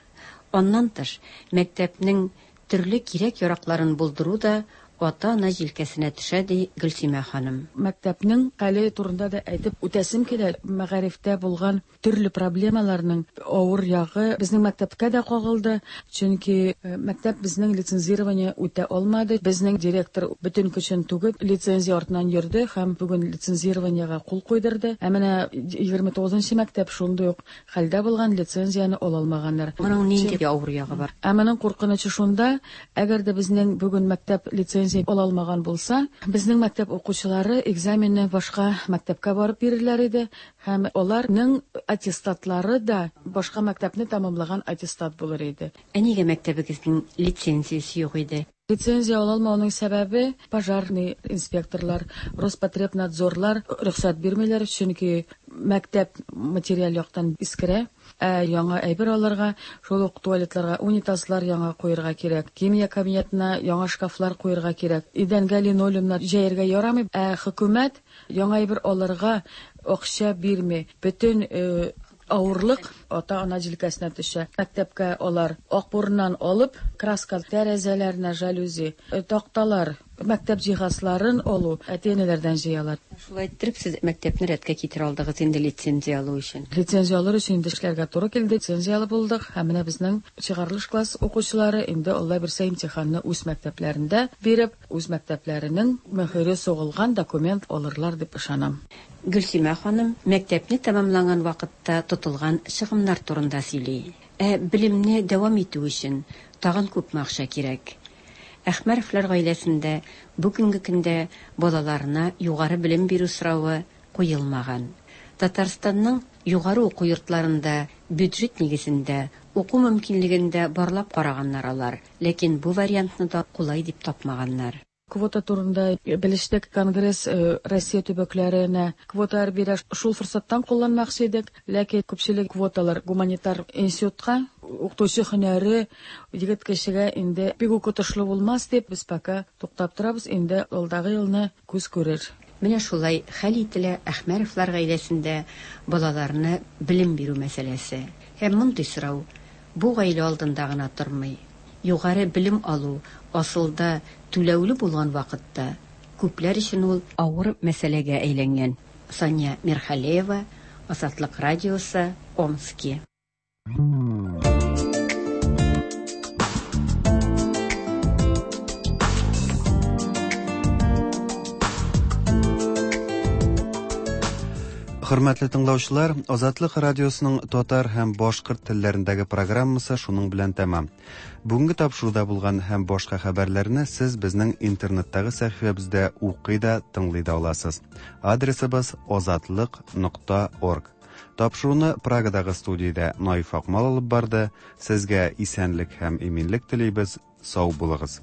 Аннан тыш, мәктәпнең төрле кирәк-яракларын булдыру да ата-ана җилкәсенә төшә, ди Гөлсимә ханым. Мәктәпнең хәле турында да әйтеп үтәсем килә. Мәгарифтә булган төрле проблемаларның авыр ягы безнең мәктәпкә дә кагылды, чөнки, э, мәктәп безнең лицензирование үтә алмады. Безнең директор бөтен көчен түгеп лицензия артыннан йөрде һәм бүген лицензированиега кул куйдырды. Ә менә егерме тугызынчы мәктәп шундый ук хәлдә булган, лицензияне ала алмаганнар. Моның нинди авыр ягы бар? Ә моның куркынычы шунда, әгәр дә безнең бүген мәктәп лицензия ала алмаган булса, безнең мәктәп укучылары экзаменны башка мәктәпкә барып бирерләр иде һәм аларның аттестатлары да башка мәктәпне тәмамлаган аттестат булыр иде. Ә нигә мәктәбегезнең лицензиясе юк иде? Лицензия ала алмауның сәбәбе пожарный инспекторлар, Роспотребнадзорлар рөхсәт бирмиләр, чөнки мәктәп материаль яктан искерә, ә яңа әйбер алырга, шул ук туалетларга унитазлар яңа куярга кирәк, химия кабинетына яңа шкафлар куярга кирәк, идәнгә линолеумнар җәяргә ярамый, ә хөкүмәт яңа әйбер алырга акча бирми. Бөтен, э, авырлык ата-ана җилкәсенә төшә. Мәктәпкә алар акбурыннан алып, краска тәрәзәләренә жалюзи, э, такталар, мәктәп җиһазларын алу әти-әниләрдән җыялар. Шулай иттереп, сез мәктәпне рәткә китерә алдыгыз инде лицензия алу өчен. Лицензия алыр өчен инде эшләргә туры килде, лицензияле булдык һәм менә безнең чыгарылыш класс укучылары инде Алла бирсә имтиханны үз мәктәпләрендә биреп, үз мәктәпләренең мөһере сугылган документ алырлар дип ышанам. Гөлсимә ханым мәктәпне тәмамланган вакытта тотылган чыгымнар турында сөйли. Ә белемне дәвам итү өчен тагын күпме акча кирәк? Әхмәровлар гаиләсендә бүгенге көндә балаларына югары белем бирү соравы куелмаган. Татарстанның югары уку йортларында бюджет нигезендә уку мөмкинлеген дә барлап караганнар алар, ләкин бу вариантны да кулай дип тапмаганнар. Квота турында белештек. Конгресс Россия төбәкләренә квоталар бирә. Шул форсаттан кулланмакчы идек. Ләкин күпчелек квоталар гуманитар институтка, укытучы һөнәре егет кешегә инде бик үк отышлы булмас дип без пока туктап торабыз. Инде алдагы елны күз күрер. Менә шулай хәл ителә Әхмәровлар гаиләсендә балаларны белем бирү мәсьәләсе. Һәм мондый сорау бу гаилә алдында гына тормый. Югары белем алу асылда түләүле булган вакытта күпләр өчен ул авыр мәсьәләгә әйләнгән. Сания Мирхалеева, Азатлык радиосы, Омски. Хөрмәтле тыңлаучылар, Азатлык радиосының татар һәм башкорт телләрендәге программасы шуның белән тәмам. Бүгенге тапшыруда булган һәм башка хәбәрләрне сез безнең интернеттагы сәхифәбездә укый да, тыңлый да аласыз. Адресыбыз азатлык нокта орг. Тапшыруны Прагадагы студиядә Наиф Акмал алып барды. Сезгә исәнлек һәм иминлек телибез. Сау булыгыз.